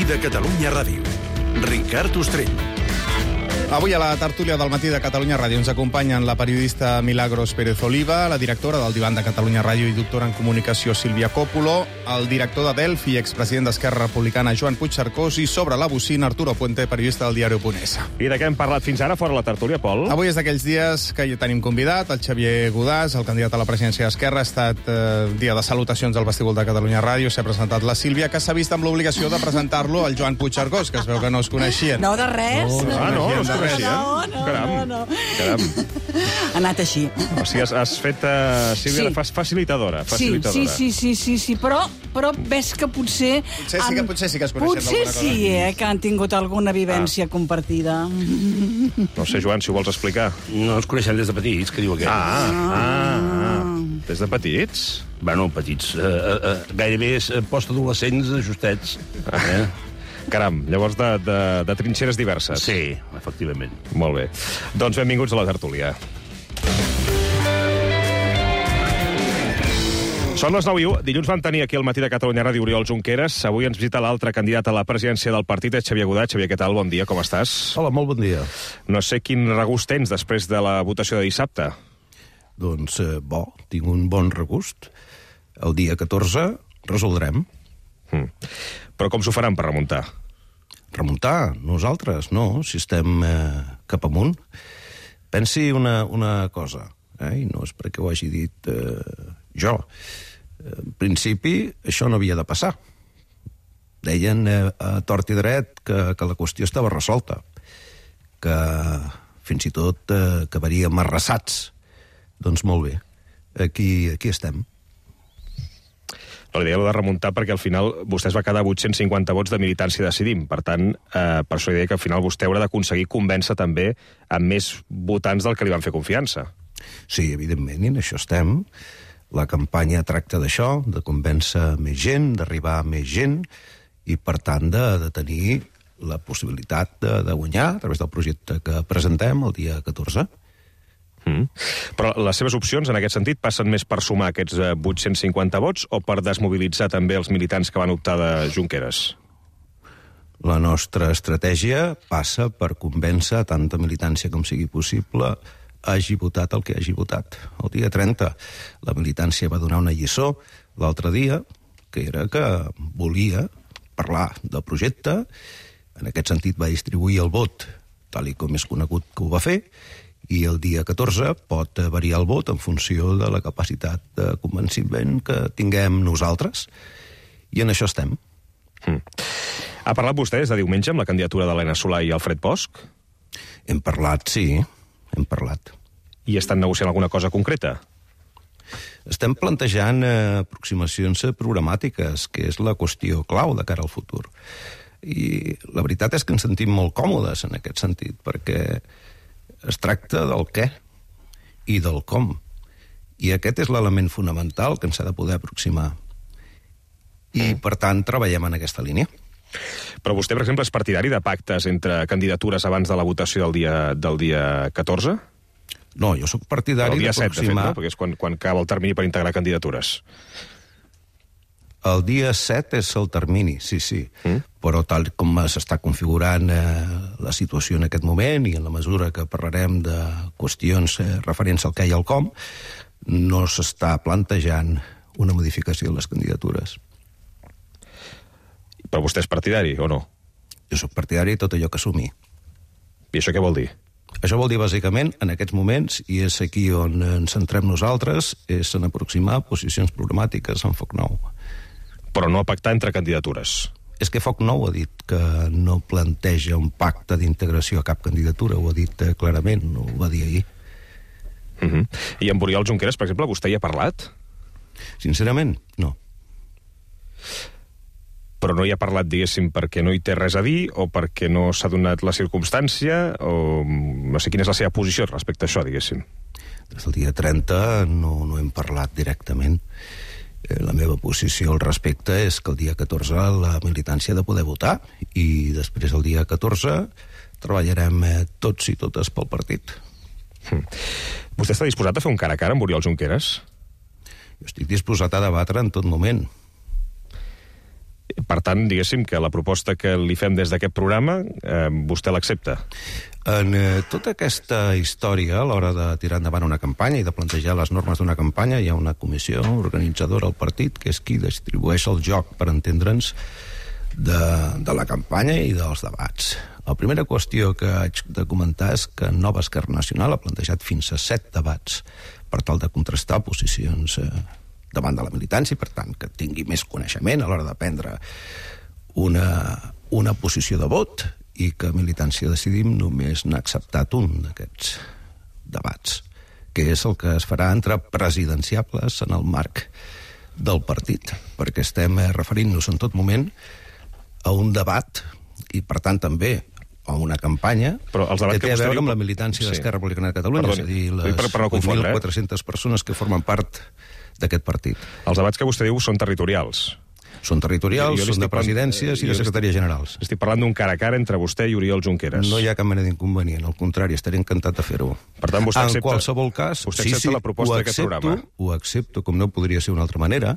matí de Catalunya Ràdio. Ricard Ostrell. Avui a la tertúlia del matí de Catalunya Ràdio ens acompanyen la periodista Milagros Pérez Oliva, la directora del Divan de Catalunya Ràdio i doctora en comunicació Sílvia Còpolo, el director de Delphi i expresident d'Esquerra Republicana Joan Puigcercós i sobre la bocina Arturo Puente, periodista del diari Punt. I de què hem parlat fins ara fora la tertúlia, Pol? Avui és d'aquells dies que hi tenim convidat, el Xavier Godàs, el candidat a la presidència d'Esquerra. Ha estat dia de salutacions al vestíbul de Catalunya Ràdio. S'ha presentat la Sílvia, que s'ha vist amb l'obligació de presentar-lo al Joan Puigcercós, que es veu que no es coneixien. No, de res. No es coneixien? No. Caram. Ha anat així. O sigui, has fet, Sílvia, facilitadora. Sí, però ves que potser Potser sí que es coneixen potser d'alguna cosa. sí, que han tingut alguna vivència compartida. No sé, Joan, si ho vols explicar. No ens coneixem des de petits, que diu aquest. Des de petits? Bueno, petits. Gairebé postadolescents justets. Caram, llavors de trinxeres diverses. Sí, efectivament. Molt bé. Doncs benvinguts a la tertúlia. Són les 9:01. Dilluns vam tenir aquí al matí de Catalunya Ràdio Oriol Junqueras. Avui ens visita l'altre candidat a la presidència del partit, Xavier Godàs. Xavier, què tal? Bon dia, com estàs? Hola, molt bon dia. No sé quin regust tens després de la votació de dissabte. Doncs, tinc un bon regust. El dia 14 resoldrem. Però com s'ho faran per remuntar? Remuntar? Nosaltres, no. Si estem cap amunt. Pensi una cosa, i no és perquè ho hagi dit jo. En principi, això no havia de passar. Deien a tort i dret que la qüestió estava resolta, que fins i tot acabaríem arrasats. Doncs molt bé, aquí estem. No, l'idea de remuntar perquè al final vostè es va quedar 850 vots de militància Decidim. Per tant, per això deia que al final vostè haurà d'aconseguir convèncer també amb més votants del que li van fer confiança. Sí, evidentment, i en això estem. La campanya tracta d'això, de convèncer més gent, d'arribar a més gent, i per tant de tenir la possibilitat de guanyar a través del projecte que presentem el dia 14. Però les seves opcions, en aquest sentit, passen més per sumar aquests 850 vots o per desmobilitzar també els militants que van optar de Junqueras? La nostra estratègia passa per convèncer tanta militància com sigui possible hagi votat el que hagi votat. El dia 30 la militància va donar una lliçó l'altre dia, que era que volia parlar del projecte. En aquest sentit va distribuir el vot, tal i com és conegut que ho va fer, i el dia 14 pot variar el vot en funció de la capacitat de convenciment que tinguem nosaltres, i en això estem. Ha parlat vostè des de diumenge amb la candidatura d'Helena Solà i Alfred Bosch? Hem parlat, sí, hem parlat. I estan negociant alguna cosa concreta? Estem plantejant aproximacions programàtiques, que és la qüestió clau de cara al futur. I la veritat és que ens sentim molt còmodes en aquest sentit, perquè es tracta del què i del com. I aquest és l'element fonamental que ens ha de poder aproximar. I, per tant, treballem en aquesta línia. Però vostè, per exemple, és partidari de pactes entre candidatures abans de la votació del dia 14? No, jo sóc partidari d'aproximar... El dia 7, de fet, no? Perquè és quan acaba el termini per integrar candidatures. El dia 7 és el termini, sí. Però tal com s'està configurant la situació en aquest moment i en la mesura que parlarem de qüestions referents al què i al com, no s'està plantejant una modificació de les candidatures. Però vostè és partidari, o no? Jo sóc partidari de tot allò que assumir. I això què vol dir? Això vol dir, bàsicament, en aquests moments, i és aquí on ens centrem nosaltres, és en aproximar posicions programàtiques en Foc Nou. Però no pactar entre candidatures. És que Foc Nou ha dit que no planteja un pacte d'integració a cap candidatura, ho ha dit clarament, ho va dir ahir. I amb Oriol Junqueras, per exemple, vostè hi ha parlat? Sincerament, no. Però no hi ha parlat, diguéssim, perquè no hi té res a dir, o perquè no s'ha donat la circumstància, o no sé quina és la seva posició respecte a això, diguéssim. Des del dia 30 no hem parlat directament. La meva posició al respecte és que el dia 14 la militància ha de poder votar i després el dia 14 treballarem tots i totes pel partit. Vostè està disposat a fer un cara a cara amb Oriol Junqueras? Jo estic disposat a debatre en tot moment. Per tant, diguéssim que la proposta que li fem des d'aquest programa, vostè l'accepta? En tota aquesta història, a l'hora de tirar endavant una campanya i de plantejar les normes d'una campanya, hi ha una comissió organitzadora al partit, que és qui distribueix el joc, per entendre'ns, de la campanya i dels debats. La primera qüestió que haig de comentar és que Nova Esquerra Nacional ha plantejat fins a 7 debats per tal de contrastar posicions davant de la militància i, per tant, que tingui més coneixement a l'hora de prendre una posició de vot, i que Militància Decidim només n'ha acceptat un d'aquests debats, que és el que es farà entre presidenciables en el marc del partit, perquè estem referint-nos en tot moment a un debat i, per tant, també a una campanya que té a veure amb la militància d'Esquerra Republicana de Catalunya, és a dir, les 8.400 persones que formen part d'aquest partit. Els debats que vostè diu són territorials. Són territorials, són de presidències i de secretaries generals. Estic parlant d'un cara a cara entre vostè i Oriol Junqueras. No hi ha cap mena d'inconvenient, al contrari, estaré encantat de fer-ho. Per tant, vostè accepta... En qualsevol cas, vostè accepta la proposta d'aquest programa? Ho accepto, com no podria ser d'una altra manera,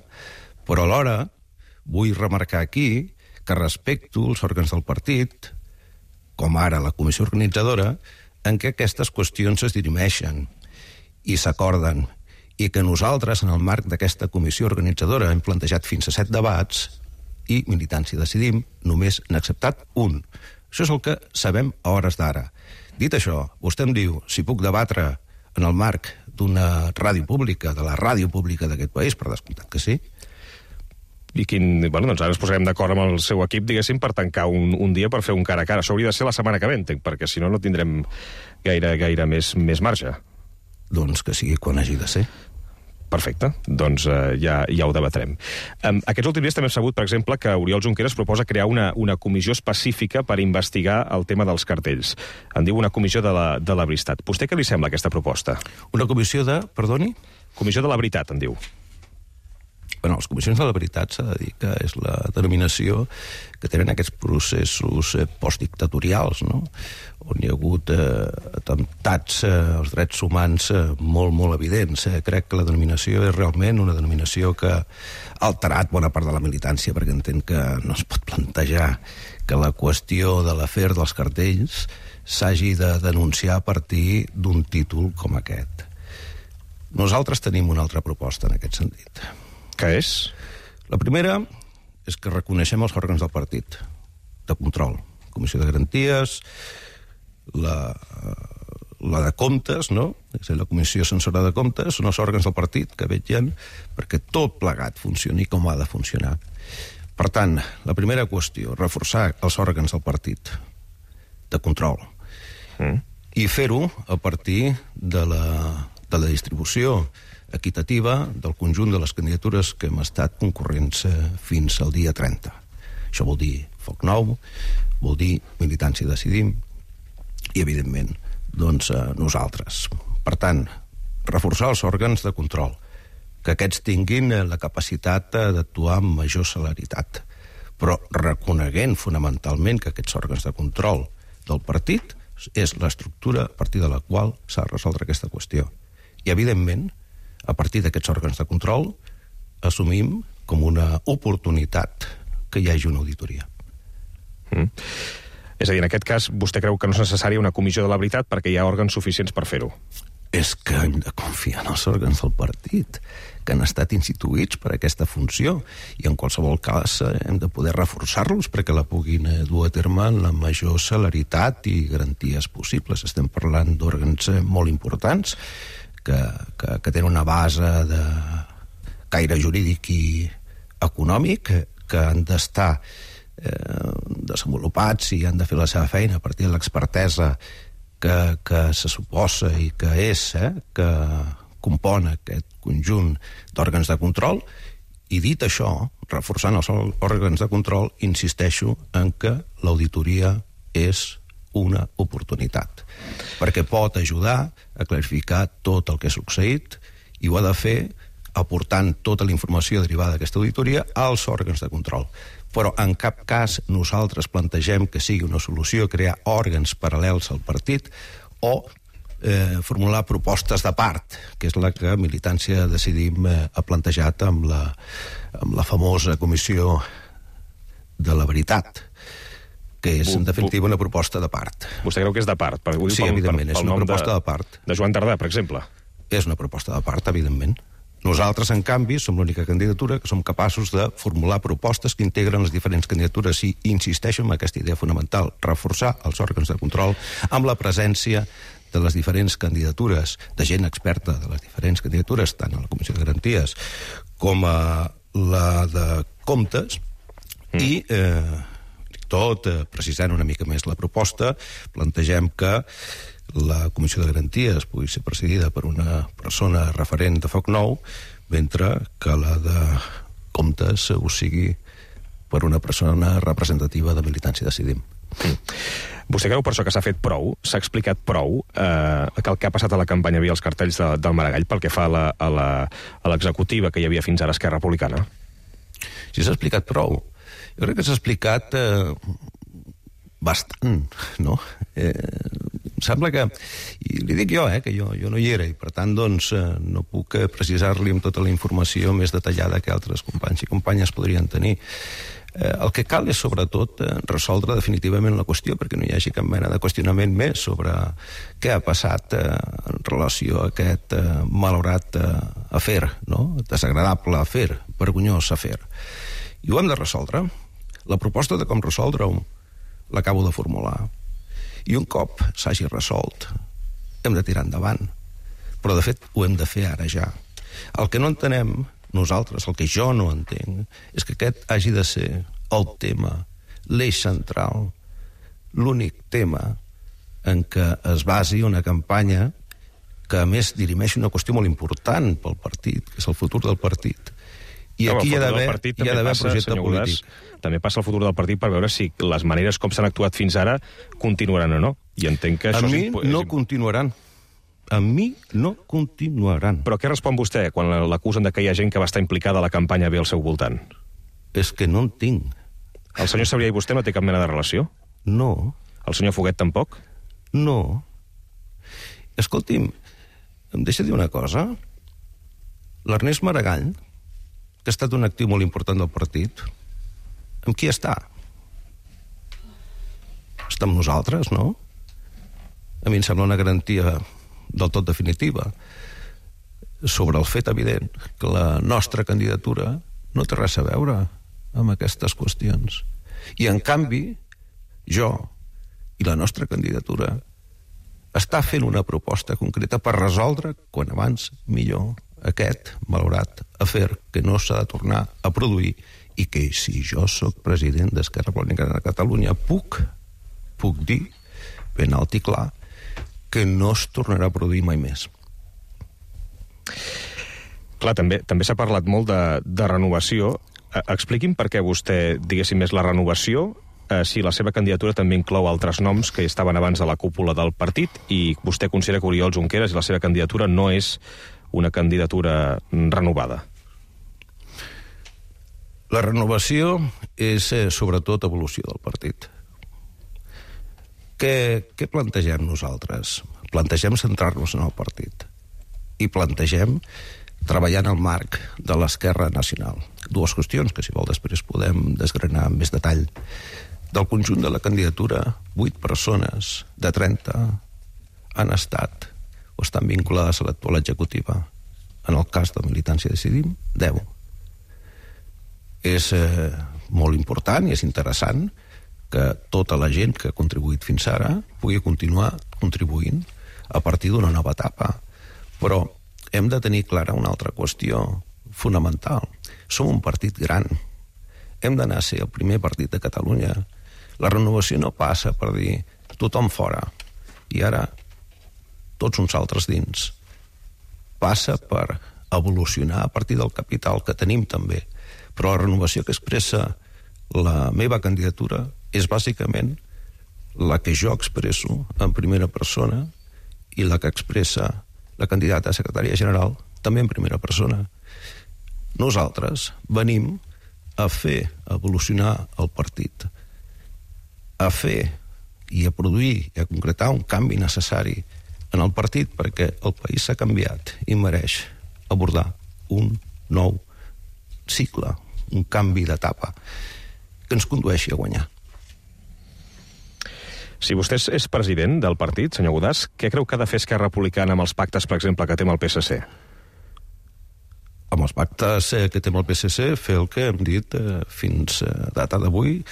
però alhora vull remarcar aquí que respecto els òrgans del partit, com ara la comissió organitzadora, en què aquestes qüestions es dirimeixen i s'acorden, i que nosaltres, en el marc d'aquesta comissió organitzadora, hem plantejat fins a 7 debats i Militància Decidim només n'ha acceptat un. Això és el que sabem a hores d'ara. Dit això, vostè em diu si puc debatre en el marc d'una ràdio pública, de la ràdio pública d'aquest país, per descomptat que sí. I bueno, doncs ara ens posarem d'acord amb el seu equip, diguéssim, per tancar un dia per fer un cara a cara. Això hauria de ser la setmana que ve, entenc, perquè si no, no tindrem gaire més marge. Doncs que sigui quan hagi de ser. Perfecte, doncs ja ho debatrem. Aquests últims dies també hem sabut, per exemple, que Oriol Junqueras proposa crear una comissió específica per investigar el tema dels cartells. En diu una comissió de la veritat. Vostè què li sembla aquesta proposta? Una comissió de... Perdoni? Comissió de la veritat, en diu. Bueno, les comissions de la veritat s'ha de dir que és la denominació que tenen aquests processos postdictatorials, no? On hi ha hagut atemptats als drets humans molt evidents. Crec que la denominació és realment una denominació que ha alterat bona part de la militància, perquè entenc que no es pot plantejar que la qüestió de l'afer dels cartells s'hagi de denunciar a partir d'un títol com aquest. Nosaltres tenim una altra proposta en aquest sentit. Què és? La primera és que reconeixem els òrgans del partit de control. Comissió de Garanties, la de Comptes, no? És a dir, la Comissió Censora de Comptes, són els òrgans del partit que vetllen perquè tot plegat funcioni com ha de funcionar. Per tant, la primera qüestió, reforçar els òrgans del partit de control i fer-ho a partir de la distribució equitativa del conjunt de les candidatures que hem estat concurrents fins al dia 30. Això vol dir Foc Nou, vol dir Militància Decidim i, evidentment, doncs nosaltres. Per tant, reforçar els òrgans de control, que aquests tinguin la capacitat d'actuar amb major celeritat, però reconeguent fonamentalment que aquests òrgans de control del partit és l'estructura a partir de la qual s'ha de resoldre aquesta qüestió. I, evidentment, a partir d'aquests òrgans de control, assumim com una oportunitat que hi hagi una auditoria. És a dir, en aquest cas, vostè creu que no és necessària una comissió de la veritat perquè hi ha òrgans suficients per fer-ho? És que hem de confiar en els òrgans del partit, que han estat instituïts per aquesta funció, i en qualsevol cas hem de poder reforçar-los perquè la puguin dur a terme en la major celeritat i garanties possibles. Estem parlant d'òrgans molt importants, que tenen una base de caire jurídic i econòmic, que han d'estar desenvolupats i han de fer la seva feina a partir de l'expertesa que se suposa i que és, que compon aquest conjunt d'òrgans de control. I dit això, reforçant els òrgans de control, insisteixo en que l'auditoria és una oportunitat, perquè pot ajudar a clarificar tot el que ha succeït i ho ha de fer aportant tota la informació derivada d'aquesta auditoria als òrgans de control. Però en cap cas nosaltres plantegem que sigui una solució crear òrgans paral·lels al partit o formular propostes de part, que és la que Militància Decidim ha plantejat amb la famosa comissió de la veritat, que és, en definitiva, una proposta de part. Vostè creu que és de part? Sí, evidentment, és una proposta de part. De Joan Tardà, per exemple? És una proposta de part, evidentment. Nosaltres, en canvi, som l'única candidatura que som capaços de formular propostes que integren les diferents candidatures i insisteixo en aquesta idea fonamental, reforçar els òrgans de control amb la presència de les diferents candidatures, de gent experta de les diferents candidatures, tant a la Comissió de Garanties com a la de Comptes, i tot, precisant una mica més la proposta, plantegem que la Comissió de Garanties pugui ser presidida per una persona referent de Foc Nou, mentre que la de Comptes ho sigui per una persona representativa de Militància Decidim. Vostè creu per això que s'ha fet prou, s'ha explicat prou que el que ha passat a la campanya via els cartells del Maragall pel que fa a l'executiva que hi havia fins ara Esquerra Republicana? Si s'ha explicat prou. Jo crec que s'ha explicat bastant, no? Em sembla que, i li dic jo, que jo no hi era, i per tant, doncs, no puc precisar-li amb tota la informació més detallada que altres companys i companyes podrien tenir. El que cal és, sobretot, resoldre definitivament la qüestió, perquè no hi hagi cap mena de qüestionament més sobre què ha passat en relació a aquest malaurat afer, no? Desagradable afer, vergonyós afer. I ho hem de resoldre. La proposta de com resoldre-ho l'acabo de formular. I un cop s'hagi resolt, hem de tirar endavant. Però, de fet, ho hem de fer ara ja. El que no entenem nosaltres, el que jo no entenc, és que aquest hagi de ser el tema, l'eix central, l'únic tema en què es basi una campanya que, a més, dirimeix una qüestió molt important pel partit, que és el futur del partit. I aquí hi ha d'haver projecte polític. També passa el futur del partit per veure si les maneres com s'han actuat fins ara continuaran o no. I entenc que això no continuaran. A mi no continuaran. Però què respon vostè quan l'acusen de que hi ha gent que va estar implicada a la campanya bé al seu voltant? És que no en tinc. El senyor Sabrià i vostè no té cap mena de relació? No. El senyor Foguet tampoc? No. Escolti'm, em deixa dir una cosa? L'Ernest Maragall, que ha estat un actiu molt important del partit, amb qui està? Està amb nosaltres, no? A mi em sembla una garantia del tot definitiva sobre el fet evident que la nostra candidatura no té res a veure amb aquestes qüestions. I, en canvi, jo i la nostra candidatura està fent una proposta concreta per resoldre, quan abans millor, aquest malaurat afer que no s'ha de tornar a produir i que, si jo sóc president d'Esquerra Republicana de Catalunya, puc dir ben alt i clar que no es tornarà a produir mai més. Clar, també s'ha parlat molt de renovació. Expliqui'm per què vostè, diguéssim, és la renovació, si la seva candidatura també inclou altres noms que estaven abans de la cúpula del partit i vostè considera que Oriol Junqueras i la seva candidatura no és una candidatura renovada. La renovació és, sobretot, evolució del partit. Què plantegem nosaltres? Plantegem centrar-nos en el partit i plantegem treballar en el marc de l'Esquerra Nacional. Dues qüestions que, si vol, després podem desgranar amb més detall. Del conjunt de la candidatura, 8 persones de 30 han estat o estan vinculades a l'actual executiva. En el cas de Militància Decidim, 10. És molt important i és interessant que tota la gent que ha contribuït fins ara pugui continuar contribuint a partir d'una nova etapa. Però hem de tenir clara una altra qüestió fonamental. Som un partit gran. Hem d'anar a ser el primer partit de Catalunya. La renovació no passa per dir tothom fora i ara tots uns altres dins. Passa per evolucionar a partir del capital que tenim també. Però la renovació que expressa la meva candidatura és bàsicament la que jo expresso en primera persona i la que expressa la candidata a secretària general també en primera persona. Nosaltres venim a fer evolucionar el partit, a fer i a produir i a concretar un canvi necessari en el partit perquè el país s'ha canviat i mereix abordar un nou cicle, un canvi d'etapa que ens condueixi a guanyar. Si vostè és president del partit, senyor Godàs, què creu que ha de fer Esquerra Republicana amb els pactes, per exemple, que té amb el PSC? Amb els pactes que té amb el PSC, fer el que hem dit fins a data d'avui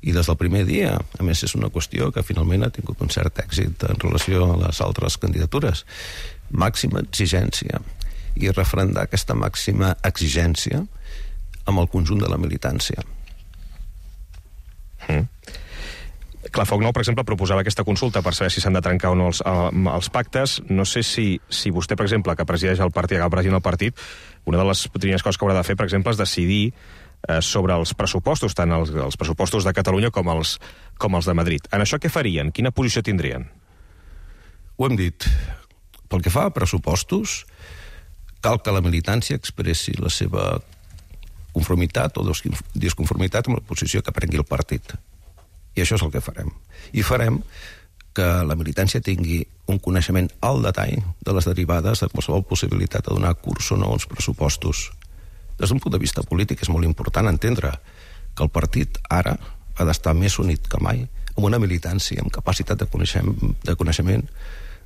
i des del primer dia. A més, és una qüestió que finalment ha tingut un cert èxit en relació a les altres candidatures. Màxima exigència i referendar aquesta màxima exigència amb el conjunt de la militància. Clar, Foc Nou, per exemple, proposava aquesta consulta per saber si s'han de trencar o no els pactes. No sé si vostè, per exemple, que presideix el partit, acaba presidint el partit, una de les primeres coses que haurà de fer, per exemple, és decidir sobre els pressupostos, tant els pressupostos de Catalunya com els de Madrid. En això què farien? Quina posició tindrien? Ho hem dit. Pel que fa a pressupostos, cal que la militància expressi la seva conformitat o disconformitat amb la posició que prengui el partit. I això és el que farem. I farem que la militància tingui un coneixement al detall de les derivades de qualsevol possibilitat de donar curs o no als pressupostos. Des d'un punt de vista polític és molt important entendre que el partit ara ha d'estar més unit que mai amb una militància amb capacitat de coneixement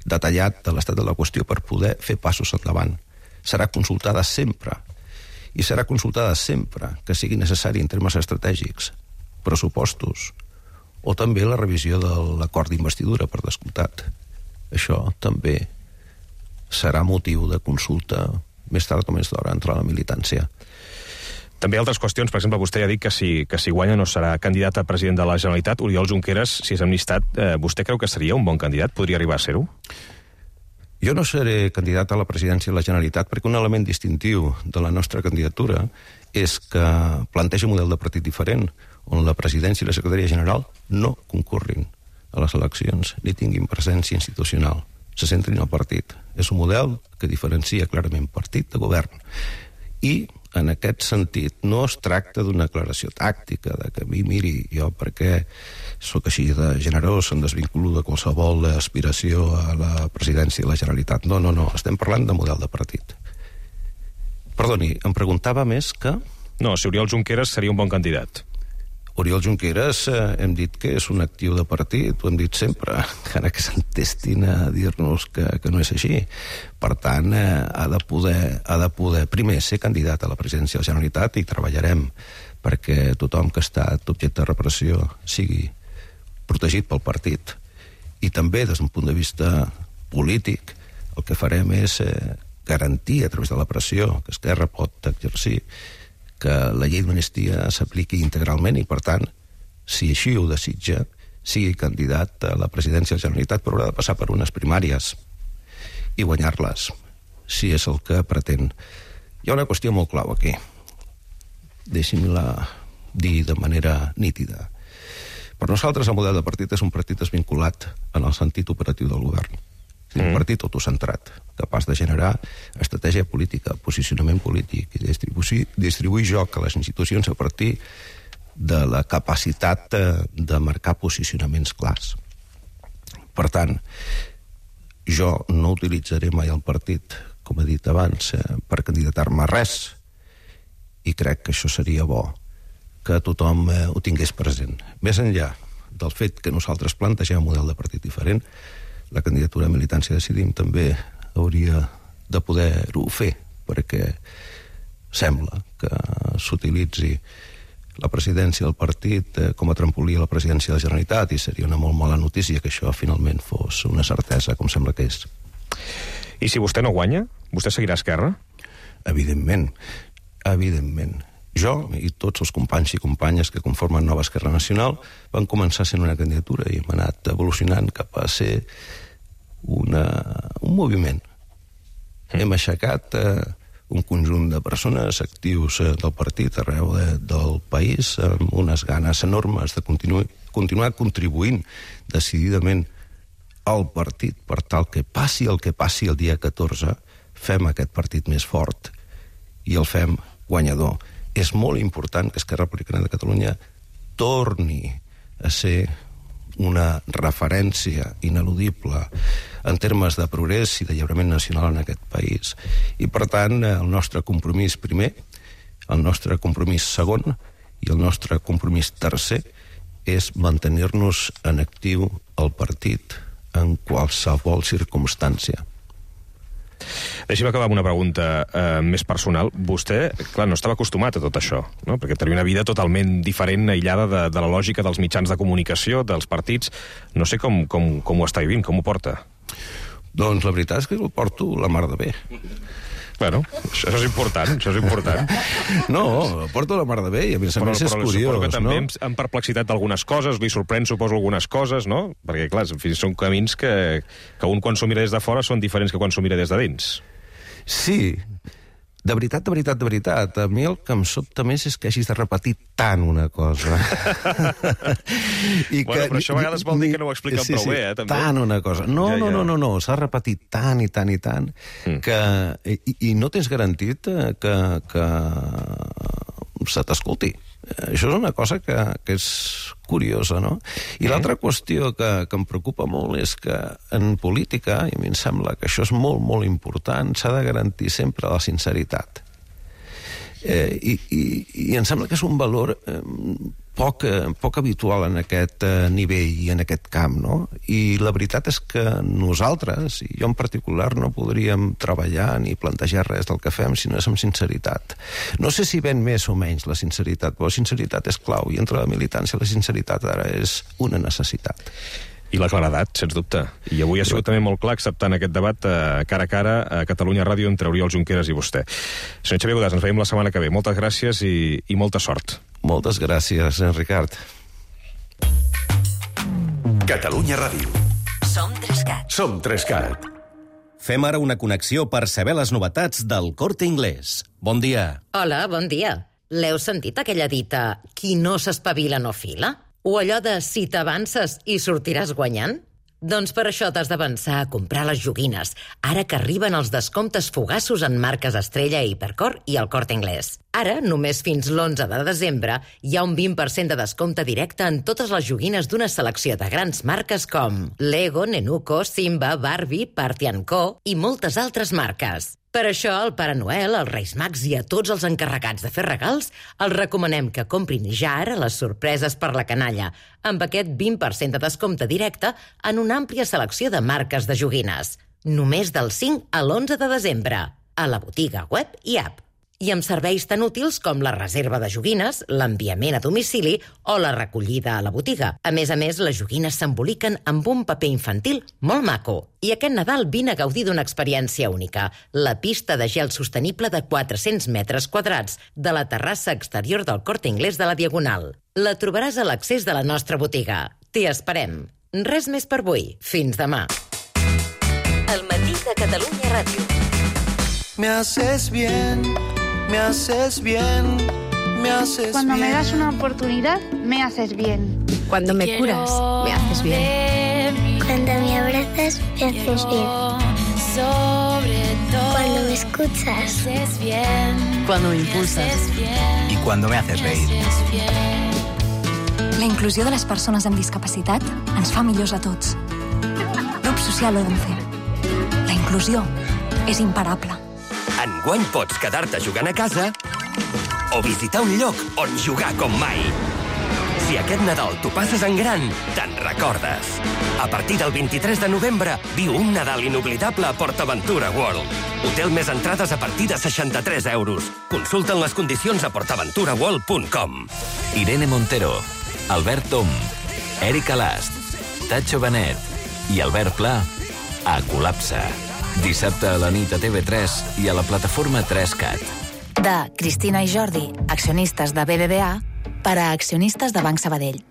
detallat de l'estat de la qüestió per poder fer passos endavant. Serà consultada sempre, i serà consultada sempre que sigui necessari en termes estratègics, pressupostos, o també la revisió de l'acord d'investidura, per descomptat. Això també serà motiu de consulta més tard o més d'hora entre la militància. També altres qüestions, per exemple, vostè ja ha dit que si guanya no serà candidat a president de la Generalitat. Oriol Junqueras, si és amnistat, vostè creu que seria un bon candidat? Podria arribar a ser-ho? Jo no seré candidat a la presidència de la Generalitat perquè un element distintiu de la nostra candidatura és que planteja un model de partit diferent, on la presidència i la secretaria general no concorrin a les eleccions ni tinguin presència institucional, se centrin al partit. És un model que diferencia clarament partit de govern. I, en aquest sentit, no es tracta d'una declaració tàctica, de que a mi, miri, jo perquè sóc així de generós, em desvinculo de qualsevol aspiració a la presidència de la Generalitat. No, estem parlant de model de partit. Perdoni, em preguntava més que... No, si Oriol Junqueras seria un bon candidat. Oriol Junqueras hem dit que és un actiu de partit, ho hem dit sempre, encara que s'entestin a dir-nos que no és així. Per tant, ha de poder primer ser candidat a la presidència de la Generalitat i treballarem perquè tothom que ha estat objecte de repressió sigui protegit pel partit. I també, des d'un punt de vista polític, el que farem és garantir a través de la pressió que Esquerra pot exercir que la llei d'amnistia s'apliqui integralment i, per tant, si així ho desitja, sigui candidat a la presidència de la Generalitat, però haurà de passar per unes primàries i guanyar-les, si és el que pretén. Hi ha una qüestió molt clau aquí. Deixi'm-la dir de manera nítida. Per nosaltres el model de partit és un partit desvinculat en el sentit operatiu del govern. Un partit autocentrat, capaç de generar estratègia política, posicionament polític i distribuir joc a les institucions a partir de la capacitat de marcar posicionaments clars. Per tant, jo no utilitzaré mai el partit, com he dit abans, per candidatar-me a res, i crec que això seria bo que tothom ho tingués present. Més enllà del fet que nosaltres plantegem un model de partit diferent, la candidatura a Militància Decidim també hauria de poder-ho fer, perquè sembla que s'utilitzi la presidència del partit com a trampolí a la presidència de la Generalitat, i seria una molt mala notícia que això finalment fos una certesa, com sembla que és. I si vostè no guanya, vostè seguirà a Esquerra? Evidentment. Jo i tots els companys i companyes que conformen Nova Esquerra Nacional van començar sent una candidatura i hem anat evolucionant cap a ser un moviment. Hem aixecat un conjunt de persones actius del partit arreu del país amb unes ganes enormes de continuar contribuint decididament al partit per tal que passi el que passi el dia 14, fem aquest partit més fort i el fem guanyador. És molt important que Esquerra Republicana de Catalunya torni a ser una referència ineludible en termes de progrés i de lliurament nacional en aquest país. I, per tant, el nostre compromís primer, el nostre compromís segon I el nostre compromís tercer és mantenir-nos en actiu al partit en qualsevol circumstància. Deixi'm acabar amb una pregunta més personal. Vostè, clar, no estava acostumat a tot això, no? Perquè tenia una vida totalment diferent, aïllada de la lògica dels mitjans de comunicació, dels partits. No sé com ho està vivint, com ho porta. Doncs la veritat és que ho porto la mar de bé. Bueno, això és important, No, porto la mar de bé i a més és curiós, suposo que també no? amb perplexitat d'algunes coses, li sorprèn, suposo, algunes coses, no? Perquè, clar, en fi, són camins que un quan s'ho mira des de fora són diferents que quan s'ho mira des de dins. Sí, de veritat, a mi el que em sobta més és que hagis de repetir tant una cosa. Però això a vegades vol dir que no ho expliquen prou bé, també. Tant una cosa. No, s'ha repetit tant i tant que... I no tens garantit que se t'escolti. Això és una cosa que és curiosa, no? I l'altra qüestió que em preocupa molt és que en política, i a mi em sembla que això és molt, molt important, s'ha de garantir sempre la sinceritat. I em sembla que és un valor poc habitual en aquest nivell i en aquest camp, no? I la veritat és que nosaltres, i jo en particular, no podríem treballar ni plantejar res del que fem si no és amb sinceritat. No sé si ven més o menys la sinceritat, però la sinceritat és clau, i entre la militància la sinceritat ara és una necessitat. I la claredat, sens dubte. I avui ha sigut també molt clar acceptant aquest debat cara a cara a Catalunya Ràdio entre Oriol Junqueras i vostè. Senyor Xavier Godàs, ens veiem la setmana que ve. Moltes gràcies i molta sort. Moltes gràcies, Ricard. Catalunya Ràdio. Som 3CAT. Som 3CAT. Fem ara una connexió per saber les novetats del Corte Inglés. Bon dia. Hola, bon dia. L'heu sentit aquella dita qui no s'espavila no fila? O allò de si t'avances i sortiràs guanyant? Doncs per això t'has d'avançar a comprar les joguines, ara que arriben els descomptes fugassos en marques Estrella, Hipercor i el Corte Inglés. Ara, només fins l'11 de desembre, hi ha un 20% de descompte directe en totes les joguines d'una selecció de grans marques com Lego, Nenuco, Simba, Barbie, Party & Co i moltes altres marques. Per això, al Pare Noel, als Reis Mags i a tots els encarregats de fer regals, els recomanem que comprin ja ara les sorpreses per la canalla, amb aquest 20% de descompte directe en una àmplia selecció de marques de joguines. Només del 5 a l'11 de desembre, a la botiga web i app. I amb serveis tan útils com la reserva de joguines, l'enviament a domicili o la recollida a la botiga. A més, les joguines s'emboliquen amb un paper infantil molt maco. I aquest Nadal vine a gaudir d'una experiència única, la pista de gel sostenible de 400 metres quadrats de la terrassa exterior del Corte Inglés de la Diagonal. La trobaràs a l'accés de la nostra botiga. T'hi esperem. Res més per avui. Fins demà. El matí de Catalunya Ràdio. Me haces bien, me haces bien, me haces Cuando bien. me das una oportunidad, me haces bien. Cuando me curas, me haces bien. Cuando me abrazas, me haces bien. Cuando me escuchas, me haces bien. Cuando me impulsas. Y cuando me haces reír. La inclusió de les persones amb discapacitat ens fa millors a tots. Grup Social Odense. La inclusió és imparable. Enguany pots quedar-te jugant a casa o visitar un lloc on jugar com mai. Si aquest Nadal t'ho passes en gran, te'n recordes. A partir del 23 de novembre, viu un Nadal inoblidable a PortAventura World. Hotel més entrades a partir de 63 euros. Consulta'n les condicions a portaventuraworld.com. Irene Montero, Albert Tom, Erika Last, Tacho Benet i Albert Pla a Col·lapse. Dissabte a la nit a TV3 i a la plataforma 3CAT. De Cristina i Jordi, accionistes de BBVA, per a accionistes de Banc Sabadell.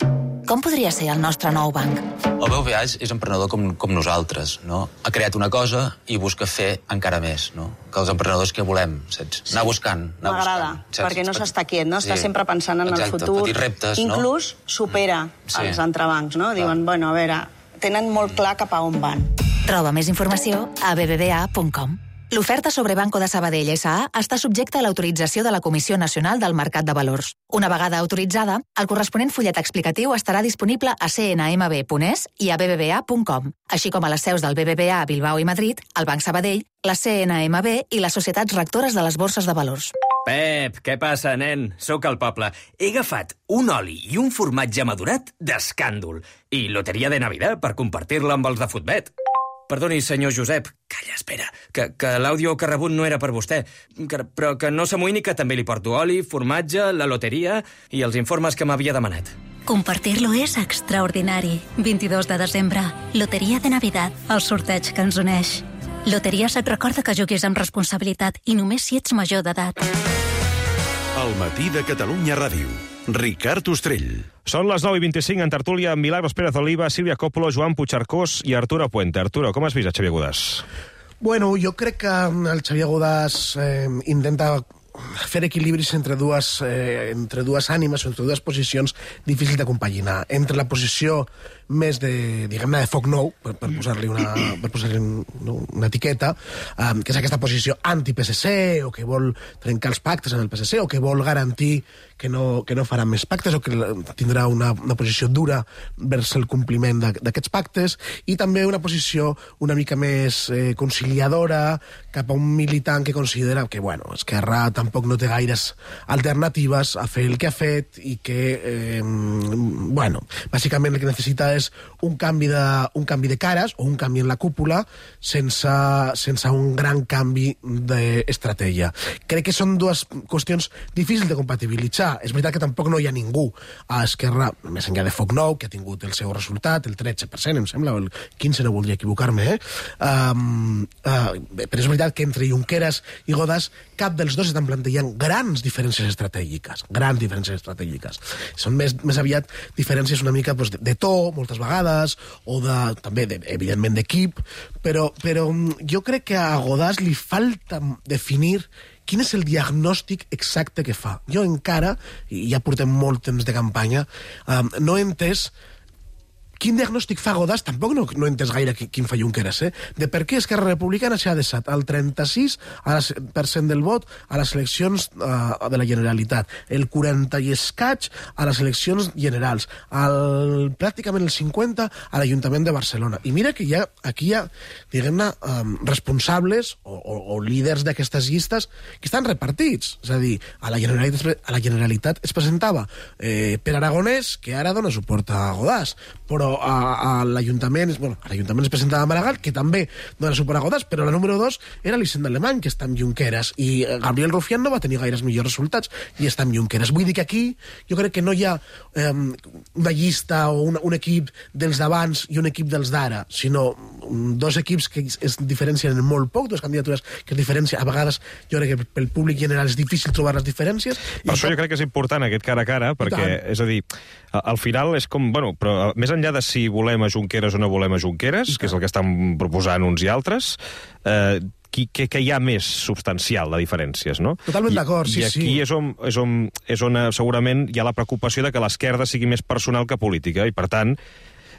Com podria ser el nostre nou banc? El BBVA és emprenedor com nosaltres, no? Ha creat una cosa i busca fer encara més, no? Que els emprenedors que volem, saps? Anar buscant, M'agrada, perquè no s'està quiet, no? Està sempre pensant en el futur. Petits reptes, no? Inclús supera els entrebancs, no? Diuen, bueno, a veure, tenen molt clar cap a on van. Troba més informació a bbva.com. L'oferta sobre Banco de Sabadell S.A. està subjecta a l'autorització de la Comissió Nacional del Mercat de Valors. Una vegada autoritzada, el corresponent fullet explicatiu estarà disponible a cnmb.es i a bbva.com, així com a les seus del BBVA a Bilbao i Madrid, el Banc Sabadell, la CNMB i les societats rectores de les borses de valors. Pep, què passa, nen? Sóc al poble. He agafat un oli i un formatge madurat d'escàndol i loteria de Navidad per compartir-la amb els de Futbet. Perdoni, senyor Josep. Calla, espera, que l'àudio que ha rebut no era per vostè, però que no s'amoïni que també li porto oli, formatge, la loteria i els informes que m'havia demanat. Compartir-lo és extraordinari. 22 de desembre, Loteria de Navidad, el sorteig que ens uneix. Loteries et recorda que juguis amb responsabilitat i només si ets major d'edat. El matí de Catalunya Ràdio. Ricard Ostrell. Són les 9:25 en tertúlia amb Milagros Pérez Oliva, Sílvia Coppolo, Joan Puigcercós i Arturo Puente. Arturo, com has vist a Xavier Godàs? Bueno, jo crec que el Xavier Godàs intenta fer equilibris entre dues ànimes, entre dues posicions difícils de compaginar. Entre la posició més de, diguem-ne, de foc nou, per posar-li una etiqueta, que és aquesta posició anti-PSC, o que vol trencar els pactes amb el PSC, o que vol garantir que no farà més pactes, o que tindrà una posició dura vers el compliment d'aquests pactes, i també una posició una mica més conciliadora cap a un militant que considera que, bueno, Esquerra tampoc no té gaires alternatives a fer el que ha fet i que, bueno, bàsicament el que necessita és un canvi de cares o un canvi en la cúpula sense un gran canvi d'estratègia. Crec que són dues qüestions difícils de compatibilitzar. És veritat que tampoc no hi ha ningú a Esquerra, més enllà de Foc Nou, que ha tingut el seu resultat, el 13%, em sembla, o el 15%, no voldria equivocar-me, però és veritat que entre Junqueras i Godàs cap dels dos estan plantejant grans diferències estratègiques. Són més aviat diferències una mica de to, moltes vegades, o també, evidentment, d'equip, però jo crec que a Godàs li falta definir quin és el diagnòstic exacte que fa. Jo encara, i ja portem molt temps de campanya, no he entès quin diagnòstic fa Godàs, tampoc no he entès gaire quin fa Junqueras, de per què Esquerra Republicana s'ha deixat el 36% del vot a les eleccions de la Generalitat, el 40 i escaig a les eleccions generals, pràcticament el 50 a l'Ajuntament de Barcelona. I mira que aquí hi ha, diguem-ne, responsables o líders d'aquestes llistes que estan repartits. És a dir, a la Generalitat es presentava Pere Aragonès, que ara dona suport a Godàs, però a l'Ajuntament es presentava Maragall, que també dona suport a Godàs, però la número 2 era l'Hisenda Alemany, que està amb Junqueras, i Gabriel Rufián no va tenir gaires millors resultats i està amb Junqueras. Vull dir que aquí jo crec que no hi ha una llista o un equip dels d'abans i un equip dels d'ara, sinó dos equips que es diferencien molt poc, dues candidatures que es diferencien. A vegades jo crec que pel públic general és difícil trobar les diferències. Per això jo crec que és important aquest cara a cara, perquè, és a dir, al final és com, bueno, però més enllà de si volem a Junqueras o no volem a Junqueras, que és el que estan proposant uns i altres, que hi ha més substancial de diferències, no? Totalment d'acord, sí. I aquí és on segurament hi ha la preocupació de que l'esquerda sigui més personal que política, i per tant,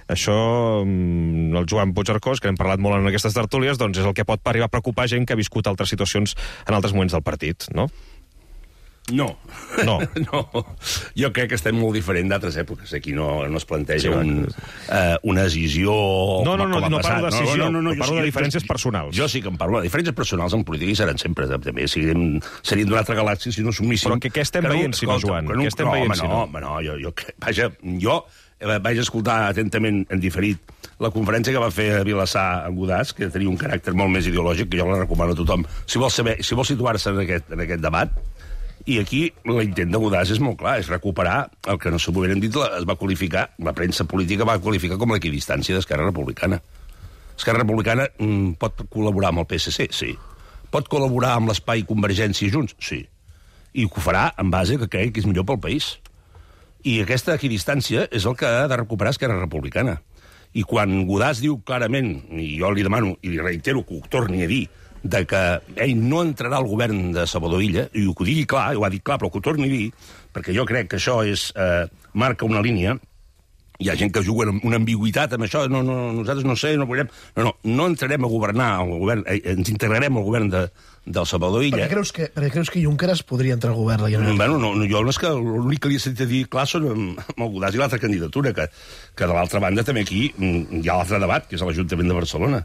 això, el Joan Puigcercós, que hem parlat molt en aquestes tertúlies, doncs és el que pot arribar a preocupar gent que ha viscut altres situacions en altres moments del partit, no? No. Jo crec que estem molt diferent d'altres èpoques. Aquí no es planteja una decisió no parlo de decisió, parlo de diferències personals. Jo sí que em parlo de diferències personals en política i seran sempre. També serien d'una altra galàxia si no submíssim. Però què estem veient, si no, Joan? Què estem veient, si no? Jo vaig escoltar atentament en diferit la conferència que va fer a Vilassar amb Godàs, que tenia un caràcter molt més ideològic, que jo la recomano a tothom. Si vol situar-se en aquest debat, i aquí l'intent de Godàs és molt clar, és recuperar el que no s'ho hubieran dit, es va qualificar, la premsa política va qualificar com l'equidistància d'Esquerra Republicana. Esquerra Republicana pot col·laborar amb el PSC? Sí. Pot col·laborar amb l'Espai Convergència i Junts? Sí. I ho farà en base que crec que és millor pel país. I aquesta equidistància és el que ha de recuperar Esquerra Republicana. I quan Godàs diu clarament, i jo li demano i li reitero que ho torni a dir, de que ell no entrarà al govern de Salvador Illa, i ho digui clar, ho ha dit clar, però que ho torni a dir, perquè jo crec que això marca una línia. Hi ha gent que juga amb una ambigüitat amb això, nosaltres no entrarem a governar el govern, ens integrarem al govern del Salvador Illa. Per què creus que Junqueras podria entrar al govern? Jo és que l'únic que li he sentit dir clar són amb el Godàs i l'altra candidatura, que de l'altra banda també aquí hi ha l'altre debat, que és a l'Ajuntament de Barcelona.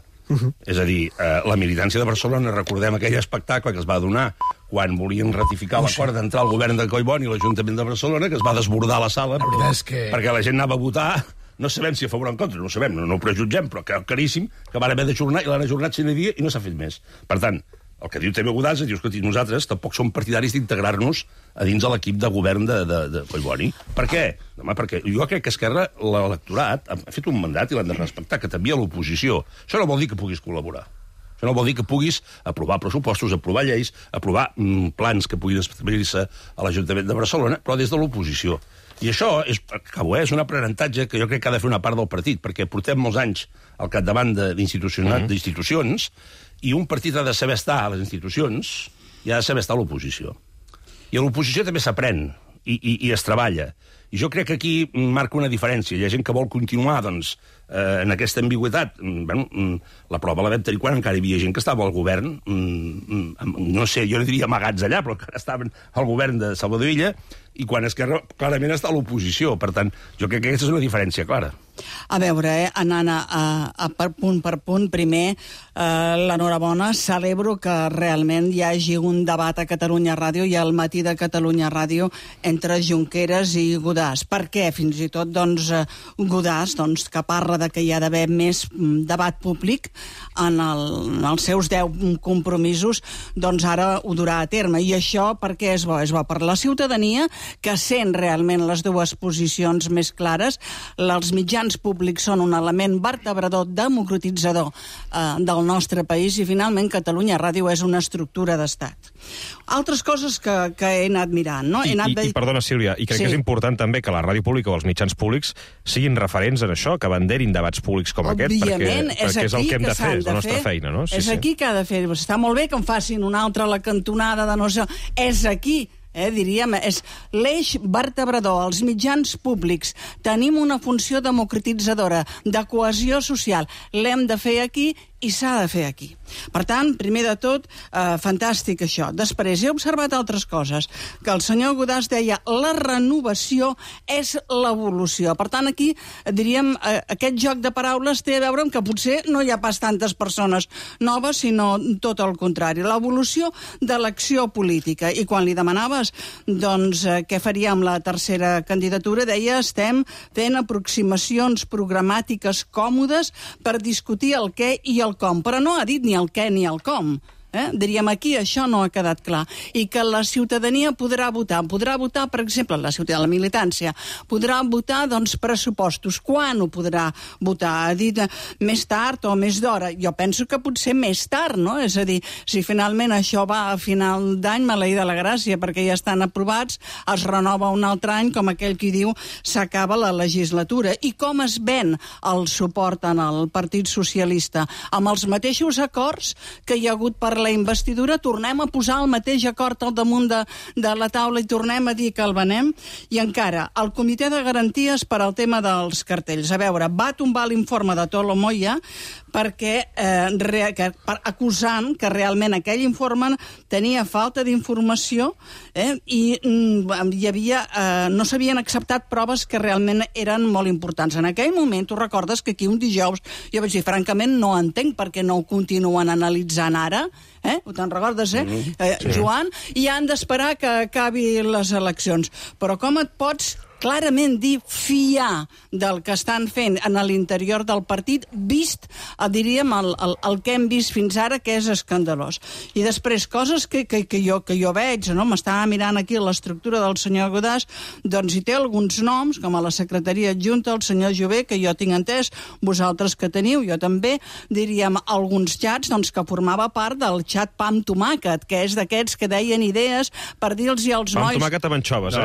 És a dir, la militància de Barcelona, recordem aquell espectacle que es va donar quan volien ratificar l'acord d'entrar al govern de Collboni i l'Ajuntament de Barcelona, que es va desbordar la sala perquè la gent anava a votar. No sabem si a favor o en contra, no ho sabem, no ho prejutgem, però caríssim, que van haver d'ajornar i l'han ajornat 100 dies i no s'ha fet més. Per tant, el que diu també Godàs, diu que nosaltres tampoc som partidaris d'integrar-nos a dins de l'equip de govern de Collboni. Per què? Home, perquè jo crec que Esquerra, l'electorat, ha fet un mandat i l'han de respectar, que també a l'oposició. Això no vol dir que puguis col·laborar. Això no vol dir que puguis aprovar pressupostos, aprovar lleis, aprovar plans que puguin establir-se a l'Ajuntament de Barcelona, però des de l'oposició. I això és un aprenentatge que jo crec que ha de fer una part del partit, perquè portem molts anys al capdavant d'institucions i un partit ha de saber estar a les institucions i ha de saber estar a l'oposició. I a l'oposició també s'aprèn i es treballa. I jo crec que aquí marca una diferència. Hi ha gent que vol continuar, doncs, en aquesta ambigüitat. La prova la vam tenir quan encara hi havia gent que estava al govern, no sé, jo no diria amagats allà, però que estaven al govern de Salvador Illa, i quan Esquerra clarament està a l'oposició. Per tant, jo crec que aquesta és una diferència clara. A veure, anant per punt, primer, l'enhorabona, celebro que realment hi hagi un debat a Catalunya Ràdio i al matí de Catalunya Ràdio entre Junqueras i Godàs. Per què? Fins i tot, doncs, Godàs, doncs, que parla de que hi ha d'haver més debat públic en els seus 10 compromisos, doncs ara ho durà a terme. I això per què és bo? És bo per la ciutadania, que sent realment les dues posicions més clares. Els mitjans públics són un element vertebrador, democratitzador del nostre país, i finalment Catalunya Ràdio és una estructura d'estat. Altres coses que he anat mirant, no? I perdona, Sílvia, i crec que és important també que la ràdio pública o els mitjans públics siguin referents en això, que abanderin debats públics com aquest, perquè és el que hem de fer, és la nostra feina, no? És aquí que ha de fer. Està molt bé que en facin una altra a la cantonada de no sé... És aquí, diríem, és l'eix vertebrador. Els mitjans públics tenim una funció democratitzadora, de cohesió social. L'hem de fer aquí i s'ha de fer aquí. Per tant, primer de tot, fantàstic això. Després, he observat altres coses, que el senyor Godàs deia la renovació és l'evolució. Per tant, aquí, diríem, aquest joc de paraules té a veure amb que potser no hi ha pas tantes persones noves, sinó tot el contrari. L'evolució de l'acció política. I quan li demanaves, doncs, què faria amb la tercera candidatura, deia, estem fent aproximacions programàtiques còmodes per discutir el què i el com, però no ha dit ni el què ni el com. Diríem, aquí això no ha quedat clar. I que la ciutadania podrà votar, per exemple, la ciutadania, la militància, podrà votar, doncs, pressupostos. Quan ho podrà votar? Ha dit més tard o més d'hora? Jo penso que potser més tard, no? És a dir, si finalment això va a final d'any, maleïda la gràcia, perquè ja estan aprovats, es renova un altre any, com aquell qui diu, s'acaba la legislatura. I com es ven el suport en el Partit Socialista? Amb els mateixos acords que hi ha hagut per la investidura, tornem a posar el mateix acord al damunt de la taula i tornem a dir que el venem. I encara, el Comitè de Garanties per al tema dels cartells. A veure, va tombar l'informe de Tolo Moya perquè acusant que realment aquell informe tenia falta d'informació i hi havia, no s'havien acceptat proves que realment eren molt importants. En aquell moment, tu recordes que aquí un dijous jo vaig dir, francament, no entenc per què no ho continuen analitzant ara, te'n recordes, Joan? I han d'esperar que acabi les eleccions. Però com et pots clarament dir fiar del que estan fent en l'interior del partit, vist, diríem, el que hem vist fins ara, que és escandalós. I després, coses que jo veig, no? M'estava mirant aquí l'estructura del senyor Godàs, doncs hi té alguns noms, com a la secretaria adjunta, el senyor Jové, que jo tinc entès, vosaltres que teniu, jo també, diríem, alguns xats, doncs, que formava part del xat Pam Tomàquet, que és d'aquests que deien idees per dir-los als nois... Pam Tomàquet amb anxoves,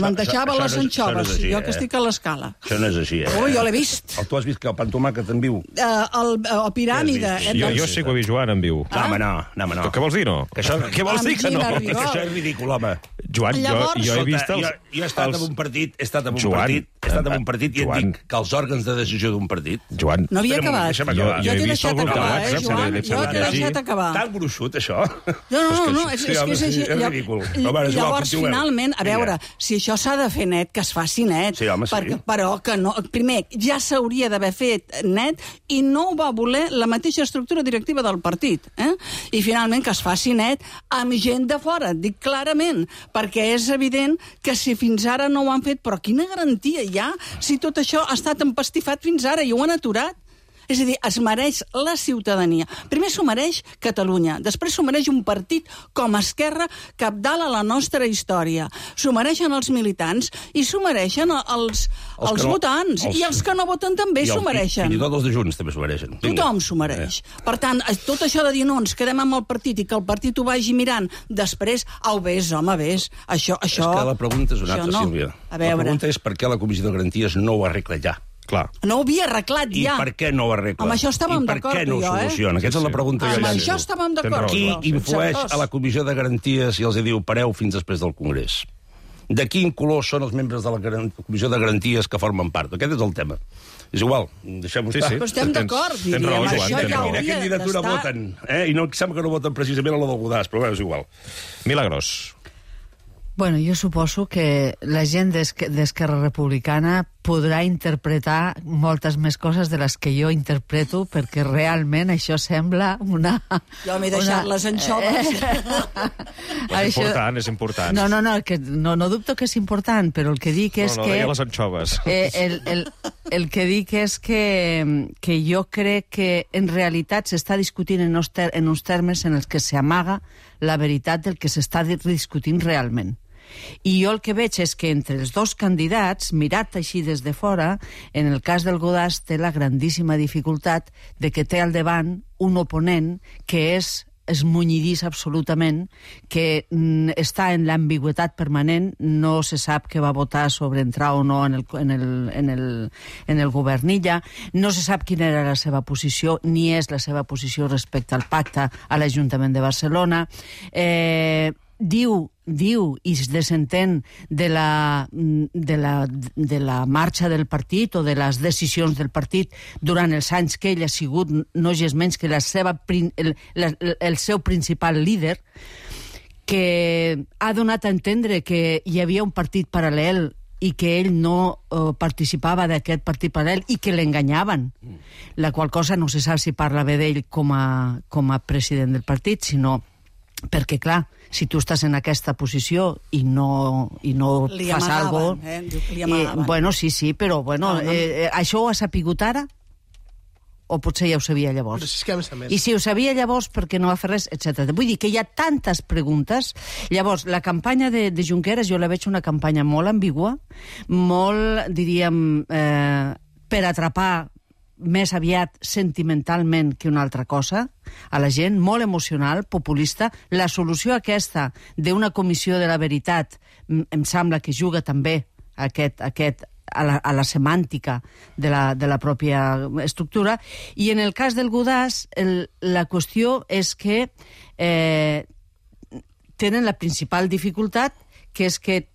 M'entejava les anxoves, jo que estic a l'escala. Això no és així, jo l'he vist. Tu has vist que el Pam Tomàquet en viu? El Piràmide. Jo sé que ho he vist, Joan, en viu. No. Què vols dir, no? Què vols dir que no? Això és ridícul, home. Joan, jo he vist els... Jo he estat en un partit... Joan, estat en un partit i et dic que els òrgans de decisió d'un partit... Joan... No havia acabat. Jo he vist el grup de WhatsApp, Joan, jo t'he deixat acabar. Tan gruixut, això. No, és que és així. És ridícul. Llavors, finalment, a veure, si això s'ha de fer net, que es faci net. Sí, home, sí. Però que no... Primer, ja s'hauria d'haver fet net i no ho va voler la mateixa estructura directiva del partit. I finalment que es faci net amb gent de fora, dic clarament, perquè és evident que si fins ara no ho han fet, però quina garantia hi ha si tot això ha estat empastifat fins ara i ho han aturat? És a dir, es mereix la ciutadania. Primer s'ho mereix Catalunya, després s'ho mereix un partit com Esquerra, cabdal a la nostra història. S'ho mereixen els militants i s'ho mereixen els votants. I els que no voten també s'ho mereixen. Fins i tot els de Junts també s'ho mereixen. Tothom s'ho mereix. Per tant, tot això de dir no, ens quedem amb el partit i que el partit ho vagi mirant, després, vés, home, vés. Això... És que la pregunta és una altra, Sílvia. La pregunta és per què la Comissió de Garanties no ho arregla ja. Clar. No ho havia arreglat ja. I per què no ho arregla? Amb això estàvem d'acord, I per què no ho soluciona? Aquesta és la pregunta que amb això estàvem d'acord. Qui influeix a la Comissió de Garanties i els diu pareu fins després del Congrés? De quin color són els membres de la Comissió de Garanties que formen part? Aquest és el tema. És igual, deixem-ho estar. Però estem d'acord, diríem. Raó, això ja quina hauria candidatura d'estar... voten? I no sembla que no voten precisament a la del Godàs, però és igual. Milagros. Bueno, jo suposo que la gent d'Esquerra Republicana podrà interpretar moltes més coses de les que jo interpreto, perquè realment això sembla una... Jo m'he deixat les anxoves. És important. No, que no dubto que és important, però el que dic és que... No, deia les anxoves. El que dic és que jo crec que en realitat s'està discutint en uns termes en els que s'amaga la veritat del que s'està discutint realment. I jo el que veig és que entre els dos candidats, mirat així des de fora, en el cas del Godàs té la grandíssima dificultat de que té al davant un oponent que és esmunyidís absolutament, que està en l'ambigüitat permanent, no se sap què va votar sobre entrar o no en el governilla, no se sap quina era la seva posició, ni és la seva posició respecte al pacte a l'Ajuntament de Barcelona. Diu i es desentén de la marxa del partit o de les decisions del partit durant els anys que ell ha sigut no és menys que el seu principal líder, que ha donat a entendre que hi havia un partit paral·lel i que ell no participava d'aquest partit paral·lel i que l'enganyaven, la qual cosa no se sap si parla bé d'ell com a president del partit, sinó perquè, clar, si tu estàs en aquesta posició i no fas alguna cosa... Bueno, sí, però bueno, això ho ha sapigut ara? O potser ja ho sabia llavors? És que a més. I si ho sabia llavors, per què no va fer res, etc. Vull dir que hi ha tantes preguntes. Llavors, la campanya de Junqueras jo la veig una campanya molt ambigua, molt, diríem, per atrapar més aviat sentimentalment que una altra cosa a la gent, molt emocional, populista. La solució aquesta d'una comissió de la veritat em sembla que juga també a la semàntica de la pròpia estructura. I en el cas del Godàs, la qüestió és que tenen la principal dificultat, que és que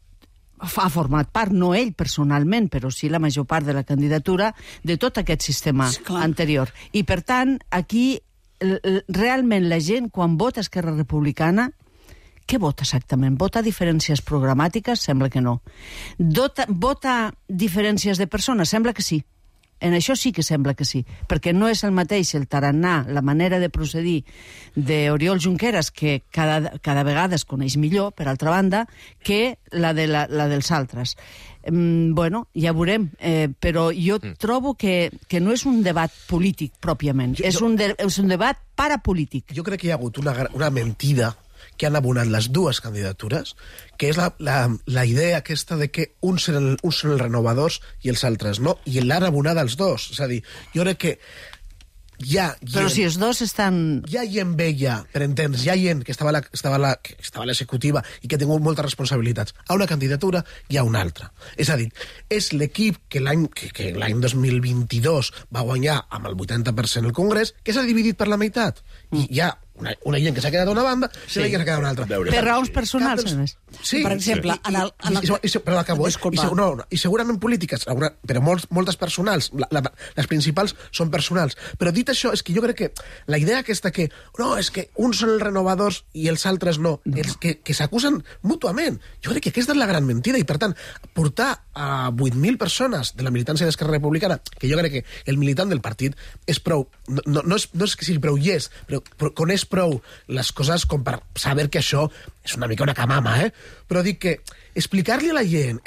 ha format part, no ell personalment, però sí la major part de la candidatura, de tot aquest sistema anterior. I, per tant, aquí, realment, la gent, quan vota Esquerra Republicana, què vota exactament? Vota diferències programàtiques? Sembla que no. Vota diferències de persones? Sembla que sí. En això sí que sembla que sí, perquè no és el mateix el tarannà, la manera de procedir d'Oriol Junqueras, que cada vegada es coneix millor, per altra banda, que la dels altres. Bueno, ja veurem, però jo trobo que no és un debat polític, pròpiament, és un debat parapolític. Jo crec que hi ha hagut una mentida que han abonat les dues candidatures, que és la idea aquesta de que uns són els renovadors i els altres no, i l'han abonat els dos. És a dir, jo crec que Però si els dos estan... Hi ha gent vella, per entendre, hi ha gent que estava a l'executiva i que ha tingut moltes responsabilitats. A una candidatura hi ha una altra. És a dir, és l'equip que l'any 2022 va guanyar amb el 80% el Congrés, que s'ha dividit per la meitat. I hi ha una gent que s'ha quedat a una banda i una gent que s'ha quedat a una altra. Per raons personals, a més. Sí, per exemple, però acabo, i segurament polítiques, però moltes personals, les principals són personals. Però dit això, és que jo crec que la idea aquesta que, no, és que uns són els renovadors i els altres no, els que s'acusen mútuament, jo crec que aquesta és la gran mentida, i per tant, portar a 8.000 persones de la militància d'Esquerra Republicana, que jo crec que el militant del partit és prou, no és que sigui prou però coneix prou les coses com per saber que això és una mica una camama, però dic que explicar-li a la gent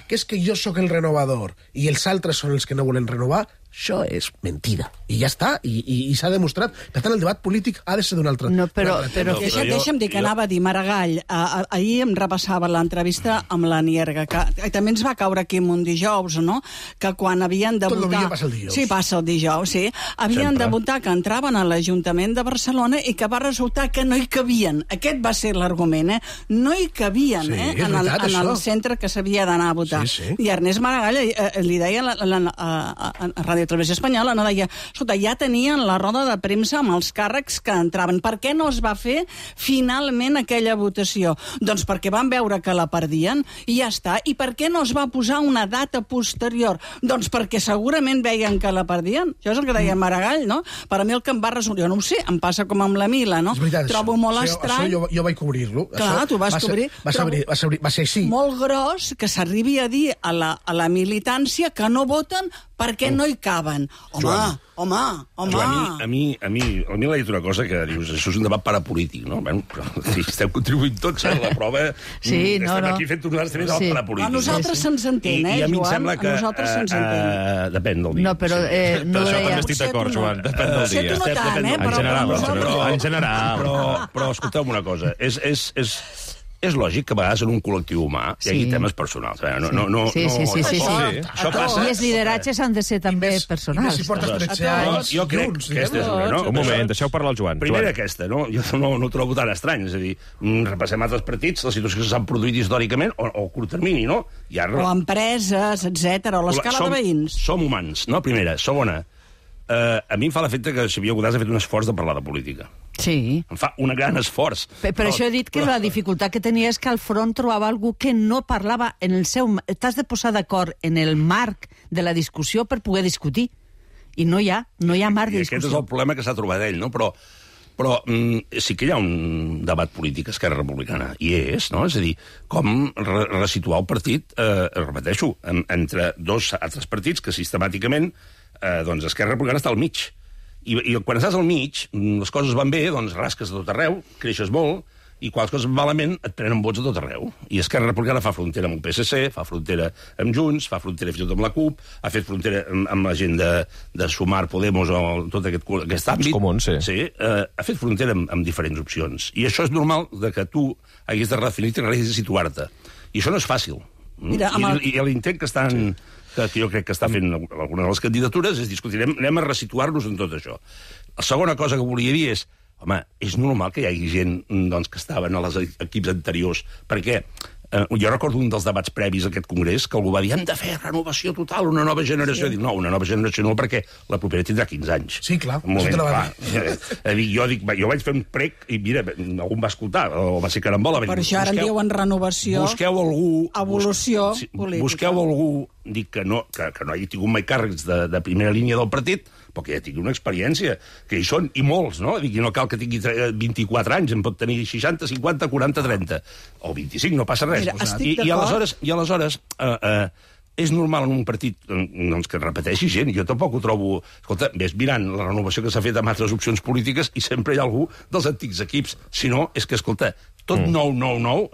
que és que jo sóc el renovador i els altres són els que no volen renovar, això és mentida. I ja està, i s'ha demostrat. Per tant, el debat polític ha de ser d'un altre. No, però deixa'm dir que anava a dir, Maragall, ahir em repassava l'entrevista amb la Nierga, que també ens va caure aquí un dijous, no?, que quan havien de votar... Tot el dia passa el dijous. Sí, passa el dijous, sí. Havien de votar que entraven a l'Ajuntament de Barcelona i que va resultar que no hi cabien. Aquest va ser l'argument, No hi cabien, en el centre que s'havia d'anar a votar. I Ernest Maragall li deia a Ràdio Televisió Espanyola, no, deia, escolta, ja tenien la roda de premsa amb els càrrecs que entraven. Per què no es va fer finalment aquella votació? Doncs perquè van veure que la perdien i ja està. I per què no es va posar una data posterior? Doncs perquè segurament veien que la perdien. Això és el que deia Maragall, no? Per a mi el que em va resultar, jo no ho sé, em passa com amb la Mila, no? Trobo molt estrany... Això jo vaig cobrir-lo. Clar, tu vas cobrir. Va ser així. Molt gros que s'arribi a dir a la militància que no voten perquè no hi caben. Home. A mi l'ha dit una cosa que dius, això és un debat parapolític, no? Bueno, si esteu contribuint tots a la prova, estem aquí fent un debat parapolític. A nosaltres se'ns entén, I a mi em sembla que... A nosaltres se'ns entén. Depèn del dia. No, però no això també estic d'acord, Joan. Depèn del dia. No tant, En general. Però escolteu una cosa, és lògic que a vegades en un col·lectiu humà hi hagi temes personals. Sí. Això passa... I els lideratges han de ser també personals. Jo crec que aquesta és una, no? Un moment, deixeu parlar el Joan. Primera aquesta, no? Jo no ho trobo tan estrany. És a dir, repassem altres partits, les situacions que s'han produït històricament, o a curt termini, no? O empreses, etc. o l'escala de veïns. Som humans, no? Primera. Segona, a mi em fa l'efecte que Xavier Godàs ha fet un esforç de parlar de política. Sí. Em fa un gran esforç. Per això he dit que la dificultat que tenia és que al front trobava algú que no parlava en el seu... T'has de posar d'acord en el marc de la discussió per poder discutir. I no hi ha marc de discussió. I aquest és el problema que s'ha trobat ell, no? Però sí que hi ha un debat polític a Esquerra Republicana, i és, no? És a dir, com resituar el partit, repeteixo, entre dos altres partits que sistemàticament, doncs Esquerra Republicana està al mig. I quan estàs al mig, les coses van bé, doncs rasques de tot arreu, creixes molt, i quan les coses van malament et prenen vots a tot arreu. I Esquerra Republicana fa frontera amb el PSC, fa frontera amb Junts, fa frontera fins i tot amb la CUP, ha fet frontera amb la gent de Sumar, Podemos, o tot aquest àmbit. Comuns, sí. Ha fet frontera amb diferents opcions. I això és normal que tu haguis de redefinir-te i haguis de situar-te. I això no és fàcil. I l'intent que estan... que jo crec que està fent alguna de les candidatures és discutir, anem a resituar-nos en tot això. La segona cosa que volia dir és, home, és normal que hi hagi gent que estaven als equips anteriors, perquè jo recordo un dels debats previs a aquest congrés que algú va dir, hem de fer renovació total, una nova generació. Dic, no, una nova generació no, perquè la propera tindrà 15 anys. Sí, clar. Jo vaig fer un prec i, mira, algú em va escoltar, o va ser carambola. Per això ara en diuen renovació, busqueu algú, evolució política. Busqueu algú, dic que no hagi tingut mai càrrecs de primera línia del partit, però que ja tingui una experiència, que hi són, i molts, no? Dic, no cal que tingui 24 anys, en pot tenir 60, 50, 40, 30, o 25, no passa res. Mira, I aleshores és normal en un partit que repeteixi gent. Jo tampoc ho trobo... Escolta, ves mirant la renovació que s'ha fet amb altres opcions polítiques i sempre hi ha algú dels antics equips. Si no, és que, escolta, tot nou,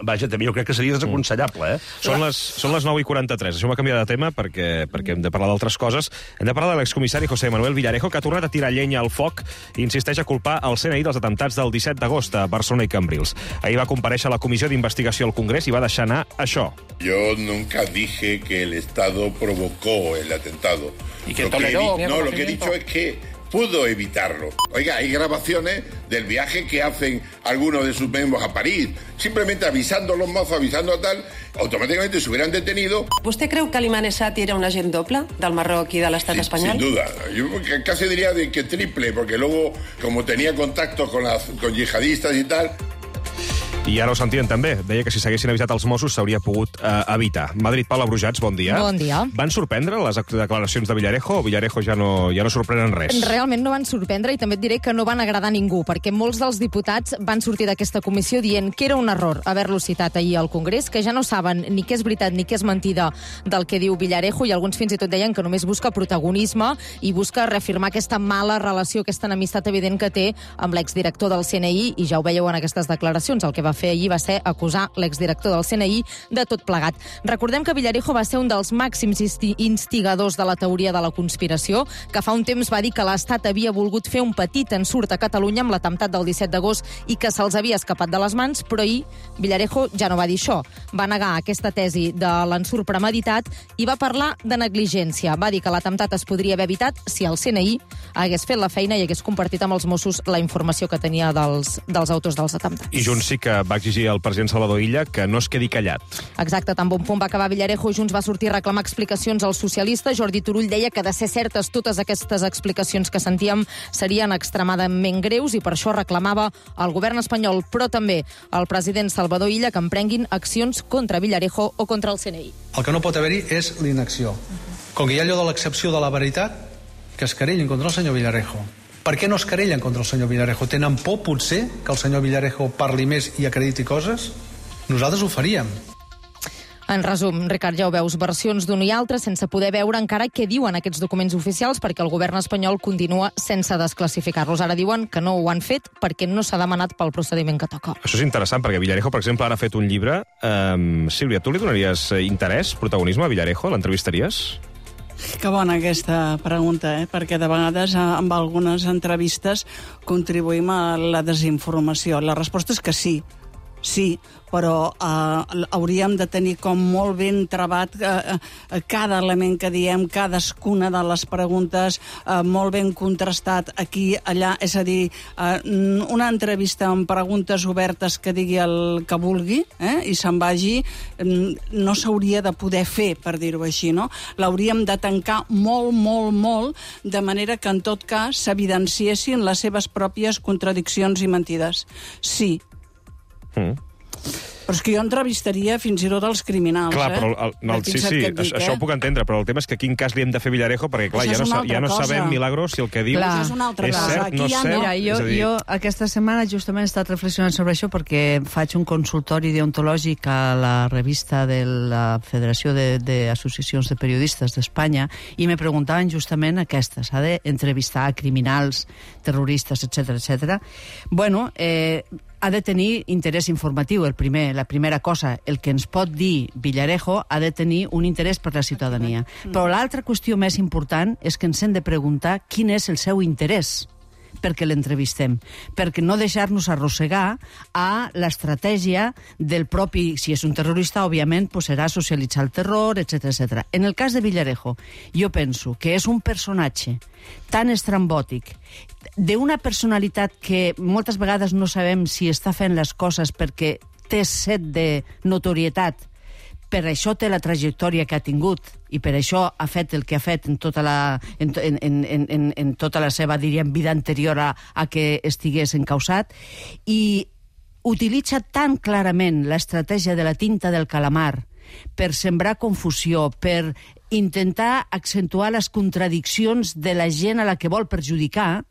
vaja, també jo crec que seria desaconsellable, Són les 9:43. Deixeu-me canviar de tema perquè hem de parlar d'altres coses. Hem de parlar de l'excomissari José Manuel Villarejo, que ha tornat a tirar llenya al foc i insisteix a culpar el CNI dels atemptats del 17 d'agost a Barcelona i Cambrils. Ahir va comparèixer a la comissió d'investigació al Congrés i va deixar anar això. Yo nunca dije que el Estado provocó el atentado. ¿Y que toleró? Lo que he dicho es que pudo evitarlo. Oiga, hay grabaciones del viaje que hacen algunos de sus miembros a París. Simplemente avisando a los mozos, avisando a tal, automáticamente se hubieran detenido. ¿Usted creu que l'Imam Essati era un agent doble del Marroc i de l'estat espanyol? Sin duda. Yo casi diría de que triple, porque luego, como tenía contacto con yihadistas y tal... I ara ho sentien també. Deia que si s'haguessin avisat els Mossos s'hauria pogut evitar. Madrid, Paula Brujats, bon dia. Bon dia. Van sorprendre les declaracions de Villarejo o Villarejo ja no sorprenen res? Realment no van sorprendre i també et diré que no van agradar a ningú, perquè molts dels diputats van sortir d'aquesta comissió dient que era un error haver-lo citat ahir al Congrés, que ja no saben ni què és veritat ni què és mentida del que diu Villarejo, i alguns fins i tot deien que només busca protagonisme i busca reafirmar aquesta mala relació, aquesta enemistat evident que té amb l'exdirector del CNI, i ja ho veieu en aquestes declaracions. El que va fer ahir va ser acusar l'exdirector del CNI de tot plegat. Recordem que Villarejo va ser un dels màxims instigadors de la teoria de la conspiració, que fa un temps va dir que l'Estat havia volgut fer un petit ensurt a Catalunya amb l'atemptat del 17 d'agost i que se'ls havia escapat de les mans, però ahir Villarejo ja no va dir això. Va negar aquesta tesi de l'ensurt premeditat i va parlar de negligència. Va dir que l'atemptat es podria haver evitat si el CNI hagués fet la feina i hagués compartit amb els Mossos la informació que tenia dels autors dels atemptats. I Junts sí que va exigir al president Salvador Illa que no es quedi callat. Exacte, tan bon punt va acabar Villarejo, Junts va sortir a reclamar explicacions als socialistes. Jordi Turull deia que de ser certes totes aquestes explicacions que sentíem serien extremadament greus i per això reclamava al govern espanyol, però també al president Salvador Illa, que emprenguin accions contra Villarejo o contra el CNI. El que no pot haver-hi és l'inacció. Com que hi ha allò de l'excepció de la veritat, que es querellin contra el senyor Villarejo. Per què no es querellen contra el senyor Villarejo? Tenen por, potser, que el senyor Villarejo parli més i acrediti coses? Nosaltres ho faríem. En resum, Ricard, ja ho veus, versions d'un i altre sense poder veure encara què diuen aquests documents oficials perquè el govern espanyol continua sense desclassificar-los. Ara diuen que no ho han fet perquè no s'ha demanat pel procediment que toca. Això és interessant, perquè Villarejo, per exemple, ara ha fet un llibre. Sílvia, tu li donaries interès, protagonisme a Villarejo? L'entrevistaries? Que bona aquesta pregunta, perquè de vegades amb algunes entrevistes contribuïm a la desinformació. La resposta és que sí. Sí, però hauríem de tenir com molt ben trebat cada element que diem, cadascuna de les preguntes, molt ben contrastat aquí, allà, és a dir, una entrevista amb preguntes obertes que digui el que vulgui i se'n vagi, no s'hauria de poder fer, per dir-ho així, no? L'hauríem de tancar molt, molt, molt, de manera que en tot cas s'evidenciessin les seves pròpies contradiccions i mentides. Sí. Però és que jo entrevistaria fins i tot els criminals, clar, però sí, això ho puc entendre, però el tema és que quin cas li hem de fer Villarejo, perquè clar, ja no sabem, Milagros, si el que diu és cert, no és cert. Mira, jo aquesta setmana justament he estat reflexionant sobre això perquè faig un consultori deontològic a la revista de la Federació d'Associacions de Periodistes d'Espanya i me preguntaven justament aquesta, s'ha d'entrevistar a criminals, terroristes, etc. Bueno, ha de tenir interès informatiu, la primera cosa. El que ens pot dir Villarejo ha de tenir un interès per la ciutadania. Però l'altra qüestió més important és que ens hem de preguntar quin és el seu interès perquè l'entrevistem, perquè no deixar-nos arrossegar a l'estratègia del propi, si és un terrorista, òbviament, serà socialitzar el terror, etc. En el cas de Villarejo, jo penso que és un personatge tan estrambòtic, d'una personalitat que moltes vegades no sabem si està fent les coses perquè té set de notorietat, per això té la trajectòria que ha tingut i per això ha fet el que ha fet en tota la seva, diríem, vida anterior a que estigués encausat, i utilitza tan clarament l'estratègia de la tinta del calamar per sembrar confusió, per intentar accentuar les contradiccions de la gent a la que vol perjudicar,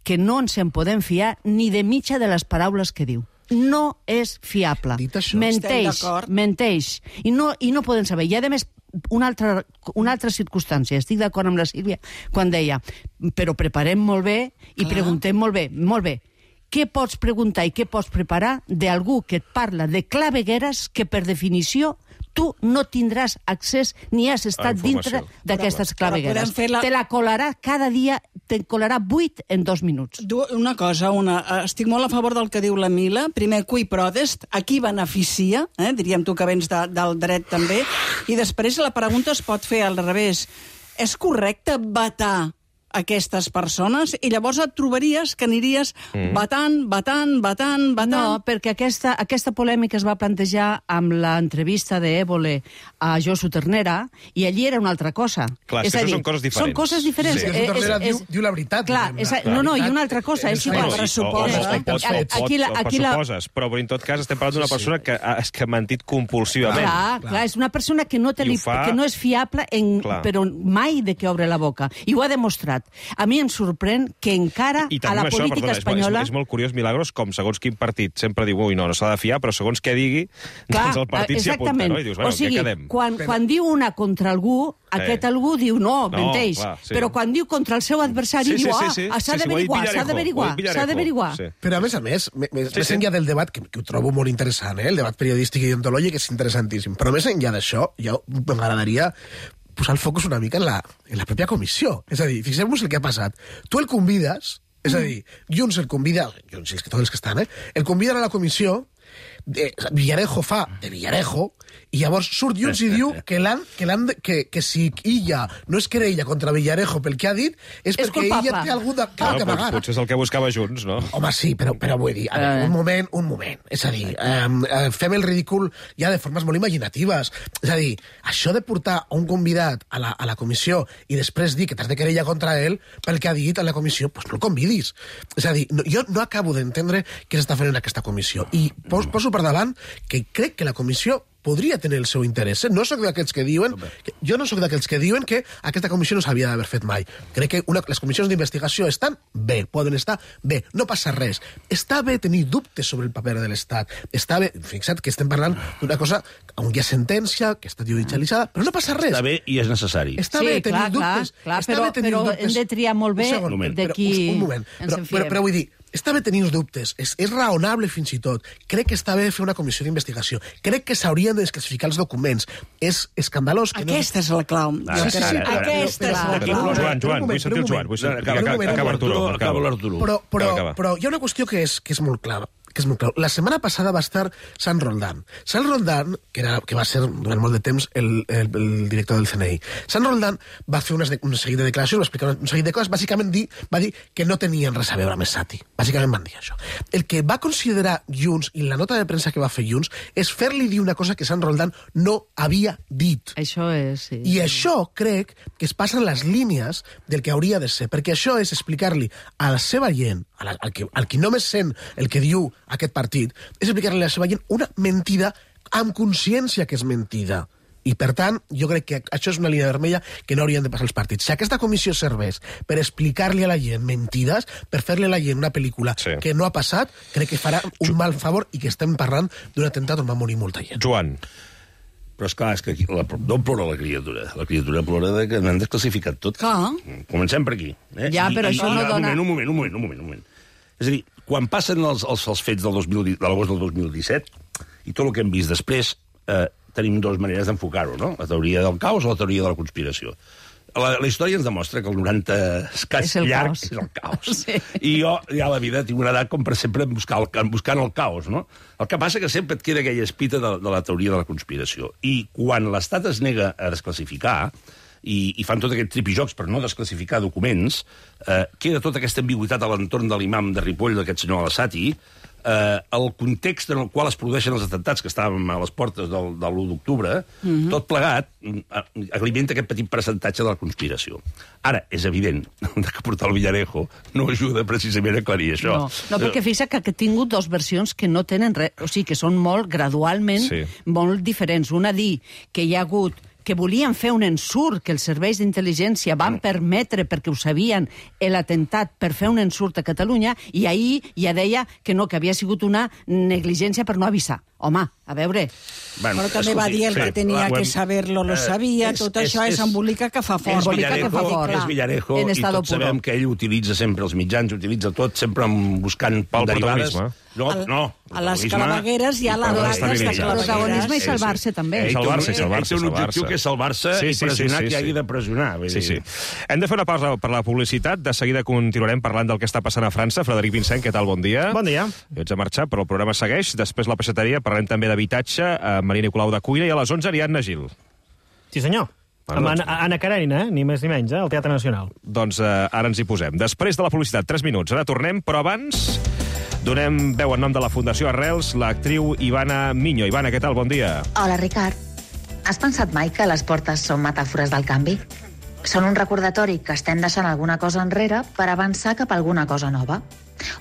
que no ens en podem fiar ni de mitja de les paraules que diu. No és fiable. Menteix. I no poden saber. I, a més, una altra circumstància. Estic d'acord amb la Sílvia quan deia però preparem molt bé i preguntem molt bé. Què pots preguntar i què pots preparar d'algú que et parla de clavegueres que, per definició, tu no tindràs accés ni has estat dintre d'aquestes clavegueres. Te la colarà cada dia, te'n colarà 8 en 2 minuts. Una cosa, estic molt a favor del que diu la Mila. Primer, cui prodest, a qui beneficia, diríem tu que vens del dret també, i després la pregunta es pot fer al revés. És correcte vetar aquestes persones i llavors et trobaries que aniries batant. No, perquè aquesta polèmica es va plantejar amb l'entrevista d'Évole a Josu Ternera i allí era una altra cosa. Clar, és que això són coses diferents. Són coses diferents. Sí, Josu Ternera diu la veritat. Clar, no, i una altra cosa, és igual. Pressuposes, però en tot cas estem parlant d'una persona que ha mentit compulsivament. Clar, és una persona que no és fiable, però mai de què obre la boca. I ho ha demostrat. A mi em sorprèn que encara a la política espanyola... És molt curiós, Milagros, com segons quin partit sempre diu no s'ha de fiar, però segons què digui, doncs el partit s'hi apunta, no? I dius, bueno, què quedem? Quan diu una contra algú, aquest algú diu no, menteix. Però quan diu contra el seu adversari, diu s'ha d'averiguar. Però a més, més enllà del debat, que ho trobo molt interessant, el debat periodístic i deontològic és interessantíssim, però més enllà d'això, ja m'agradaria posar el focus una mica en la pròpia comissió. És a dir, fixem-nos el que ha passat. Tu el convides, és a dir, Junts el convida, Junts i tots els que estan, el conviden a la comissió, Villarejo fa de Villarejo, i llavors surt Junts i diu que si ella no es querella contra Villarejo pel que ha dit, és perquè ella té algú que amagar. Potser és el que buscava Junts, no? Home, sí, però vull dir, un moment. És a dir, fem el ridícul ja de formes molt imaginatives. És a dir, això de portar un convidat a la comissió i després dir que t'has de querella contra ell pel que ha dit a la comissió, doncs no el convidis. És a dir, jo no acabo d'entendre què s'està fent en aquesta comissió. I poso per davant que crec que la comissió podria tenir el seu interès. No soc d'aquells que diuen... Jo no soc d'aquells que diuen que aquesta comissió no s'havia d'haver fet mai. Crec que les comissions d'investigació estan bé, poden estar bé, no passa res. Està bé tenir dubtes sobre el paper de l'Estat. Està bé, fixa't que estem parlant d'una cosa on hi ha sentència, que està judicialitzada, però no passa res. Està bé i és necessari. Està bé tenir dubtes. Però hem de triar molt bé de qui ens en fiem. Però vull dir, està bé tenir uns dubtes, és raonable fins i tot. Crec que està bé fer una comissió d'investigació. Crec que s'haurien de desclassificar els documents. És escandalós que Aquesta és la clau. Aquesta és la clau. Joan, vull sentir el Joan. Acaba l'Arturo. Però hi ha una qüestió que és molt clara. La setmana passada va estar Sant Roldán. Sant Roldán, que va ser durant molt de temps el director del CNI. Sant Roldán va fer un seguit de declaracions, va explicar un seguit de coses, bàsicament va dir que no tenien res a veure amb Esati. Bàsicament van dir això. El que va considerar Junts, i la nota de premsa que va fer Junts, és fer-li dir una cosa que Sant Roldán no havia dit. Això és, sí. I això crec que es passen les línies del que hauria de ser, perquè això és explicar-li a la seva gent, al qui només sent el que diu aquest partit, és explicar-li a la seva gent una mentida amb consciència que és mentida. I, per tant, jo crec que això és una línia vermella que no haurien de passar els partits. Si aquesta comissió serveix per explicar-li a la gent mentides, per fer-li a la gent una pel·lícula que no ha passat, crec que farà un mal favor i que estem parlant d'un atemptat on va morir molta gent. Joan. Però esclar, és que aquí no plora la criatura. La criatura plora que n'han desclassificat tot. Comencem per aquí. Ja, però això no dona... Un moment. És a dir, quan passen els fets de l'agost del 2017 i tot el que hem vist després, tenim dues maneres d'enfocar-ho, no? La teoria del caos o la teoria de la conspiració. La història ens demostra que el 90 escàs llarg és el caos. Sí. I jo, ja a la vida, tinc una edat com per sempre buscant el caos, no? El que passa que sempre et queda aquella espita de la teoria de la conspiració. I quan l'Estat es nega a desclassificar, i fan tot aquest tripijocs per no desclassificar documents, queda tota aquesta ambigüitat a l'entorn de l'imam de Ripoll, d'aquest senyor Al-Assati, el context en el qual es produeixen els atemptats, que estàvem a les portes de l'1 d'octubre, tot plegat alimenta aquest petit percentatge de la conspiració. Ara, és evident que portar el Villarejo no ajuda precisament a aclarir això. No, perquè fixa que ha tingut dues versions que no tenen res, o sigui, que són molt, gradualment, molt diferents. Una dir que hi ha hagut que volien fer un ensurt, que els serveis d'intel·ligència van permetre, perquè ho sabien, l'atemptat per fer un ensurt a Catalunya, i ahir ja deia que no, que havia sigut una negligència per no avisar. Home, a veure... Però també va dir el que tenia que saber-lo, lo sabia, tot això és embolica que fa fort. És Villarejo, i tots sabem que ell utilitza sempre els mitjans, utilitza tot, sempre buscant derivades. No. A les clavegueres hi ha la protagonisme i salvar-se també. Salvar-se. Té un objectiu que és salvar-se i pressionar qui hagi de pressionar. Sí. Hem de fer una pausa per la publicitat. De seguida continuarem parlant del que està passant a França. Frederic Vincent, què tal? Bon dia. Bon dia. Jo ets a marxar, però el programa segueix. Després la peixateria, parlem també d'habitatge, Maria Nicolau de Cuina, i a les 11 Ariadna Gil. Sí, senyor. Amb Anna Karenina, ni més ni menys, al Teatre Nacional. Doncs ara ens hi posem. Després de la publicitat, 3 minuts. Ara tornem, però abans donem veu en nom de la Fundació Arrels, l'actriu Ivana Miño. Ivana, què tal? Bon dia. Hola, Ricard. Has pensat mai que les portes són metàfores del canvi? Són un recordatori que estem deixant alguna cosa enrere per avançar cap a alguna cosa nova.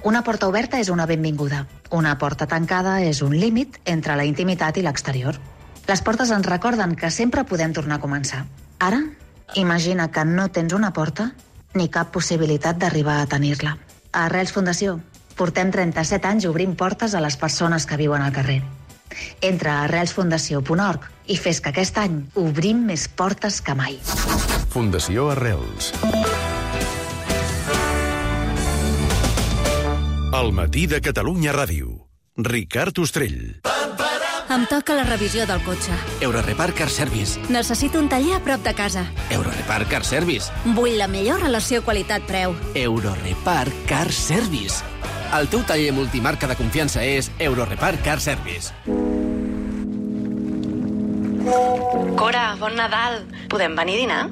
Una porta oberta és una benvinguda. Una porta tancada és un límit entre la intimitat i l'exterior. Les portes ens recorden que sempre podem tornar a començar. Ara, imagina que no tens una porta ni cap possibilitat d'arribar a tenir-la. A Arrels Fundació portem 37 anys obrint portes a les persones que viuen al carrer. Entra a arrelsfundació.org i fes que aquest any obrim més portes que mai. Fundació Arrels. El matí de Catalunya Ràdio. Ricard Ostrell. Em toca la revisió del cotxe. Eurorepar Car Service. Necessito un taller a prop de casa. Eurorepar Car Service. Vull la millor relació qualitat-preu. Eurorepar Car Service. El teu taller multimarca de confiança és Eurorepar Car Service. Cora, bon Nadal. Podem venir a dinar?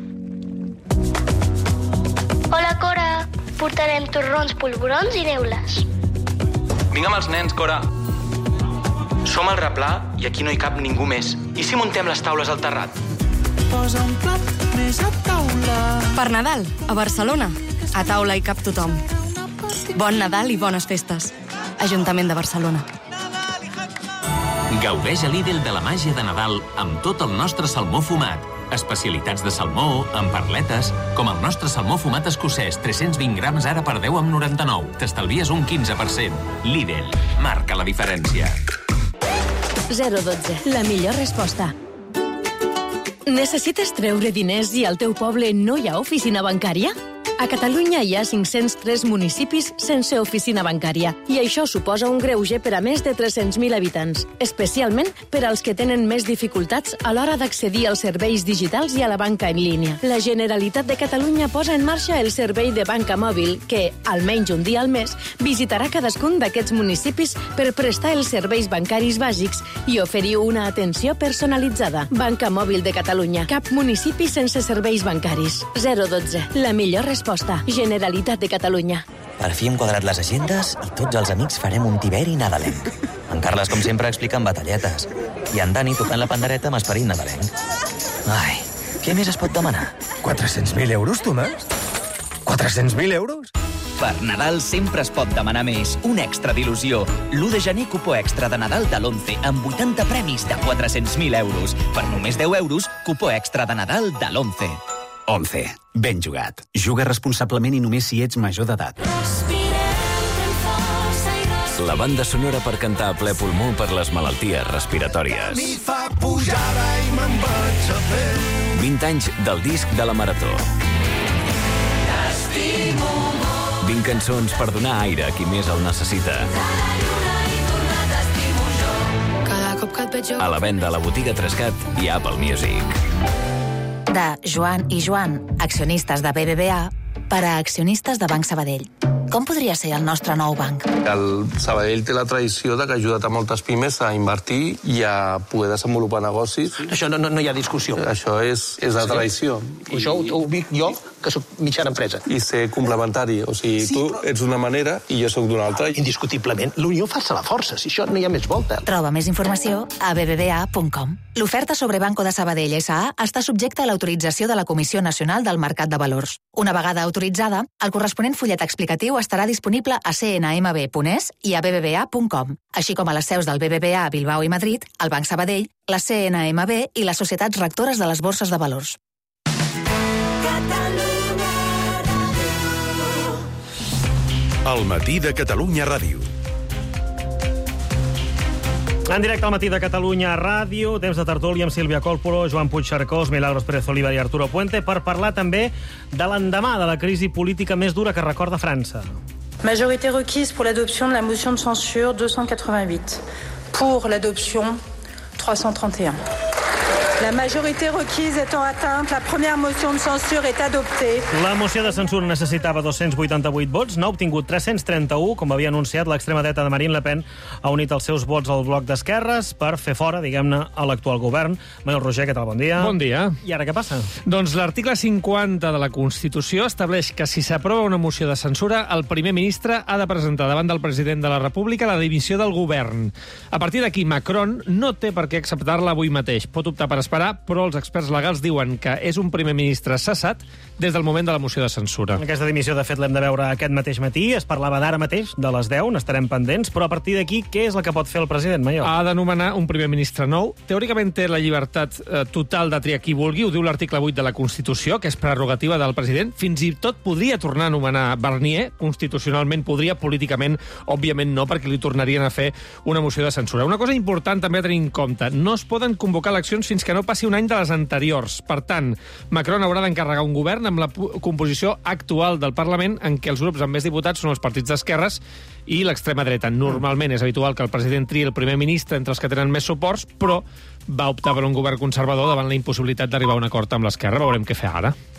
Hola, Cora. Portarem torrons, polvorons i neules. Vinga amb els nens, Cora. Som al replà i aquí no hi cap ningú més. I si muntem les taules al terrat? Posa un plat més a taula. Per Nadal, a Barcelona, a taula hi cap tothom. Bon Nadal i bones festes. Ajuntament de Barcelona. Gaudeix a Lidl de la màgia de Nadal amb tot el nostre salmó fumat. Especialitats de salmó, amb perletes, com el nostre salmó fumat escocès, 320 grams ara per 10,99. T'estalvies un 15%. Lidl, marca la diferència. 012, la millor resposta. Necessites treure diners i al teu poble no hi ha oficina bancària? A Catalunya hi ha 503 municipis sense oficina bancària i això suposa un greuge per a més de 300.000 habitants, especialment per als que tenen més dificultats a l'hora d'accedir als serveis digitals i a la banca en línia. La Generalitat de Catalunya posa en marxa el servei de banca mòbil que, almenys un dia al mes, visitarà cadascun d'aquests municipis per prestar els serveis bancaris bàsics i oferir una atenció personalitzada. Banca Mòbil de Catalunya. Cap municipi sense serveis bancaris. 012. La millor resposta. Generalitat de Catalunya. Per fi hem quadrat les agendes i tots els amics farem un tiberi nadalenc. En Carles, com sempre, explica en batalletes. I en Dani tocant la pandereta amb esperit nadalenc. Ai, què més es pot demanar? 400.000 euros, Tomàs? 400.000 euros? Per Nadal sempre es pot demanar més. Un extra d'il·lusió. L'1 de gener, cupó extra de Nadal de l'11 amb 80 premis de 400.000 euros. Per només 10 euros, cupó extra de Nadal de l'11. 11. Ben jugat. Juga responsablement i només si ets major d'edat. La banda sonora per cantar a ple pulmó per les malalties respiratòries. Mi fa pujada i me'n vaig a fer. 20 anys del disc de la Marató. 20 cançons per donar aire a qui més el necessita. A la venda a la botiga Trescat i Apple Music. De Joan i Joan, accionistes de BBVA, per a accionistes de Banc Sabadell. Com podria ser el nostre nou banc? El Sabadell té la tradició de que ha ajudat a moltes pimes a invertir i a poder desenvolupar negocis. Sí. Això no hi ha discussió. Això és la tradició. Això ho dic jo, que soc mitjana empresa. I ser complementari. O sigui, sí, tu ets d'una manera i jo sóc d'una altra. Indiscutiblement, l'unió fa la força. Si això no hi ha més volta. Troba més informació a bbva.com. L'oferta sobre Banco de Sabadell S.A. està subjecta a l'autorització de la Comissió Nacional del Mercat de Valors. Una vegada autoritzada, el corresponent fullet explicatiu estarà disponible a cnmb.es i a bbva.com, així com a les seus del BBVA a Bilbao i Madrid, el Banc Sabadell, la CNMB i les societats rectores de les borses de valors. El matí de Catalunya Ràdio. En directe al matí de Catalunya Ràdio, temps de tertúlia amb Sílvia Còlpolo, Joan Puigcercós, Milagros Pérez Oliva i Arturo Puente per parlar també de l'endemà de la crisi política més dura que recorda França. Majorité requise pour l'adoption de la motion de censure 288. Pour l'adoption 331. La majorité requise étant atteinte, la première motion de censure est adoptée. La moció de censura necessitava 288 vots, n'ha obtingut 331, com havia anunciat l'extrema dreta de Marine Le Pen, ha unit els seus vots al bloc d'esquerres per fer fora, diguem-ne, a l'actual govern. Manuel Roger, què tal? Bon dia. Bon dia. I ara què passa? Doncs l'article 50 de la Constitució estableix que si s'aprova una moció de censura, el primer ministre ha de presentar davant del president de la República la dimissió del govern. A partir d'aquí, Macron no té per què acceptar-la avui mateix. Pot optar per esperar, però els experts legals diuen que és un primer ministre cessat des del moment de la moció de censura. Aquesta dimissió, de fet, l'hem de veure aquest mateix matí. Es parlava d'ara mateix, de les 10, n'estarem pendents, però a partir d'aquí, què és el que pot fer el president, Mallol? Ha de nomenar un primer ministre nou. Teòricament té la llibertat total de triar qui vulgui, ho diu l'article 8 de la Constitució, que és prerrogativa del president. Fins i tot podria tornar a nomenar Barnier, constitucionalment podria, políticament, òbviament no, perquè li tornarien a fer una moció de censura. Una cosa important també a tenir en compte, no es poden convocar eleccions fins que no passi un any de les anteriors. Per tant, Macron haurà d'encarregar un govern amb la composició actual del Parlament en què els grups amb més diputats són els partits d'esquerres i l'extrema dreta. Normalment és habitual que el president triï el primer ministre entre els que tenen més suports, però va optar per un govern conservador davant la impossibilitat d'arribar a un acord amb l'esquerra. Veurem què fer ara.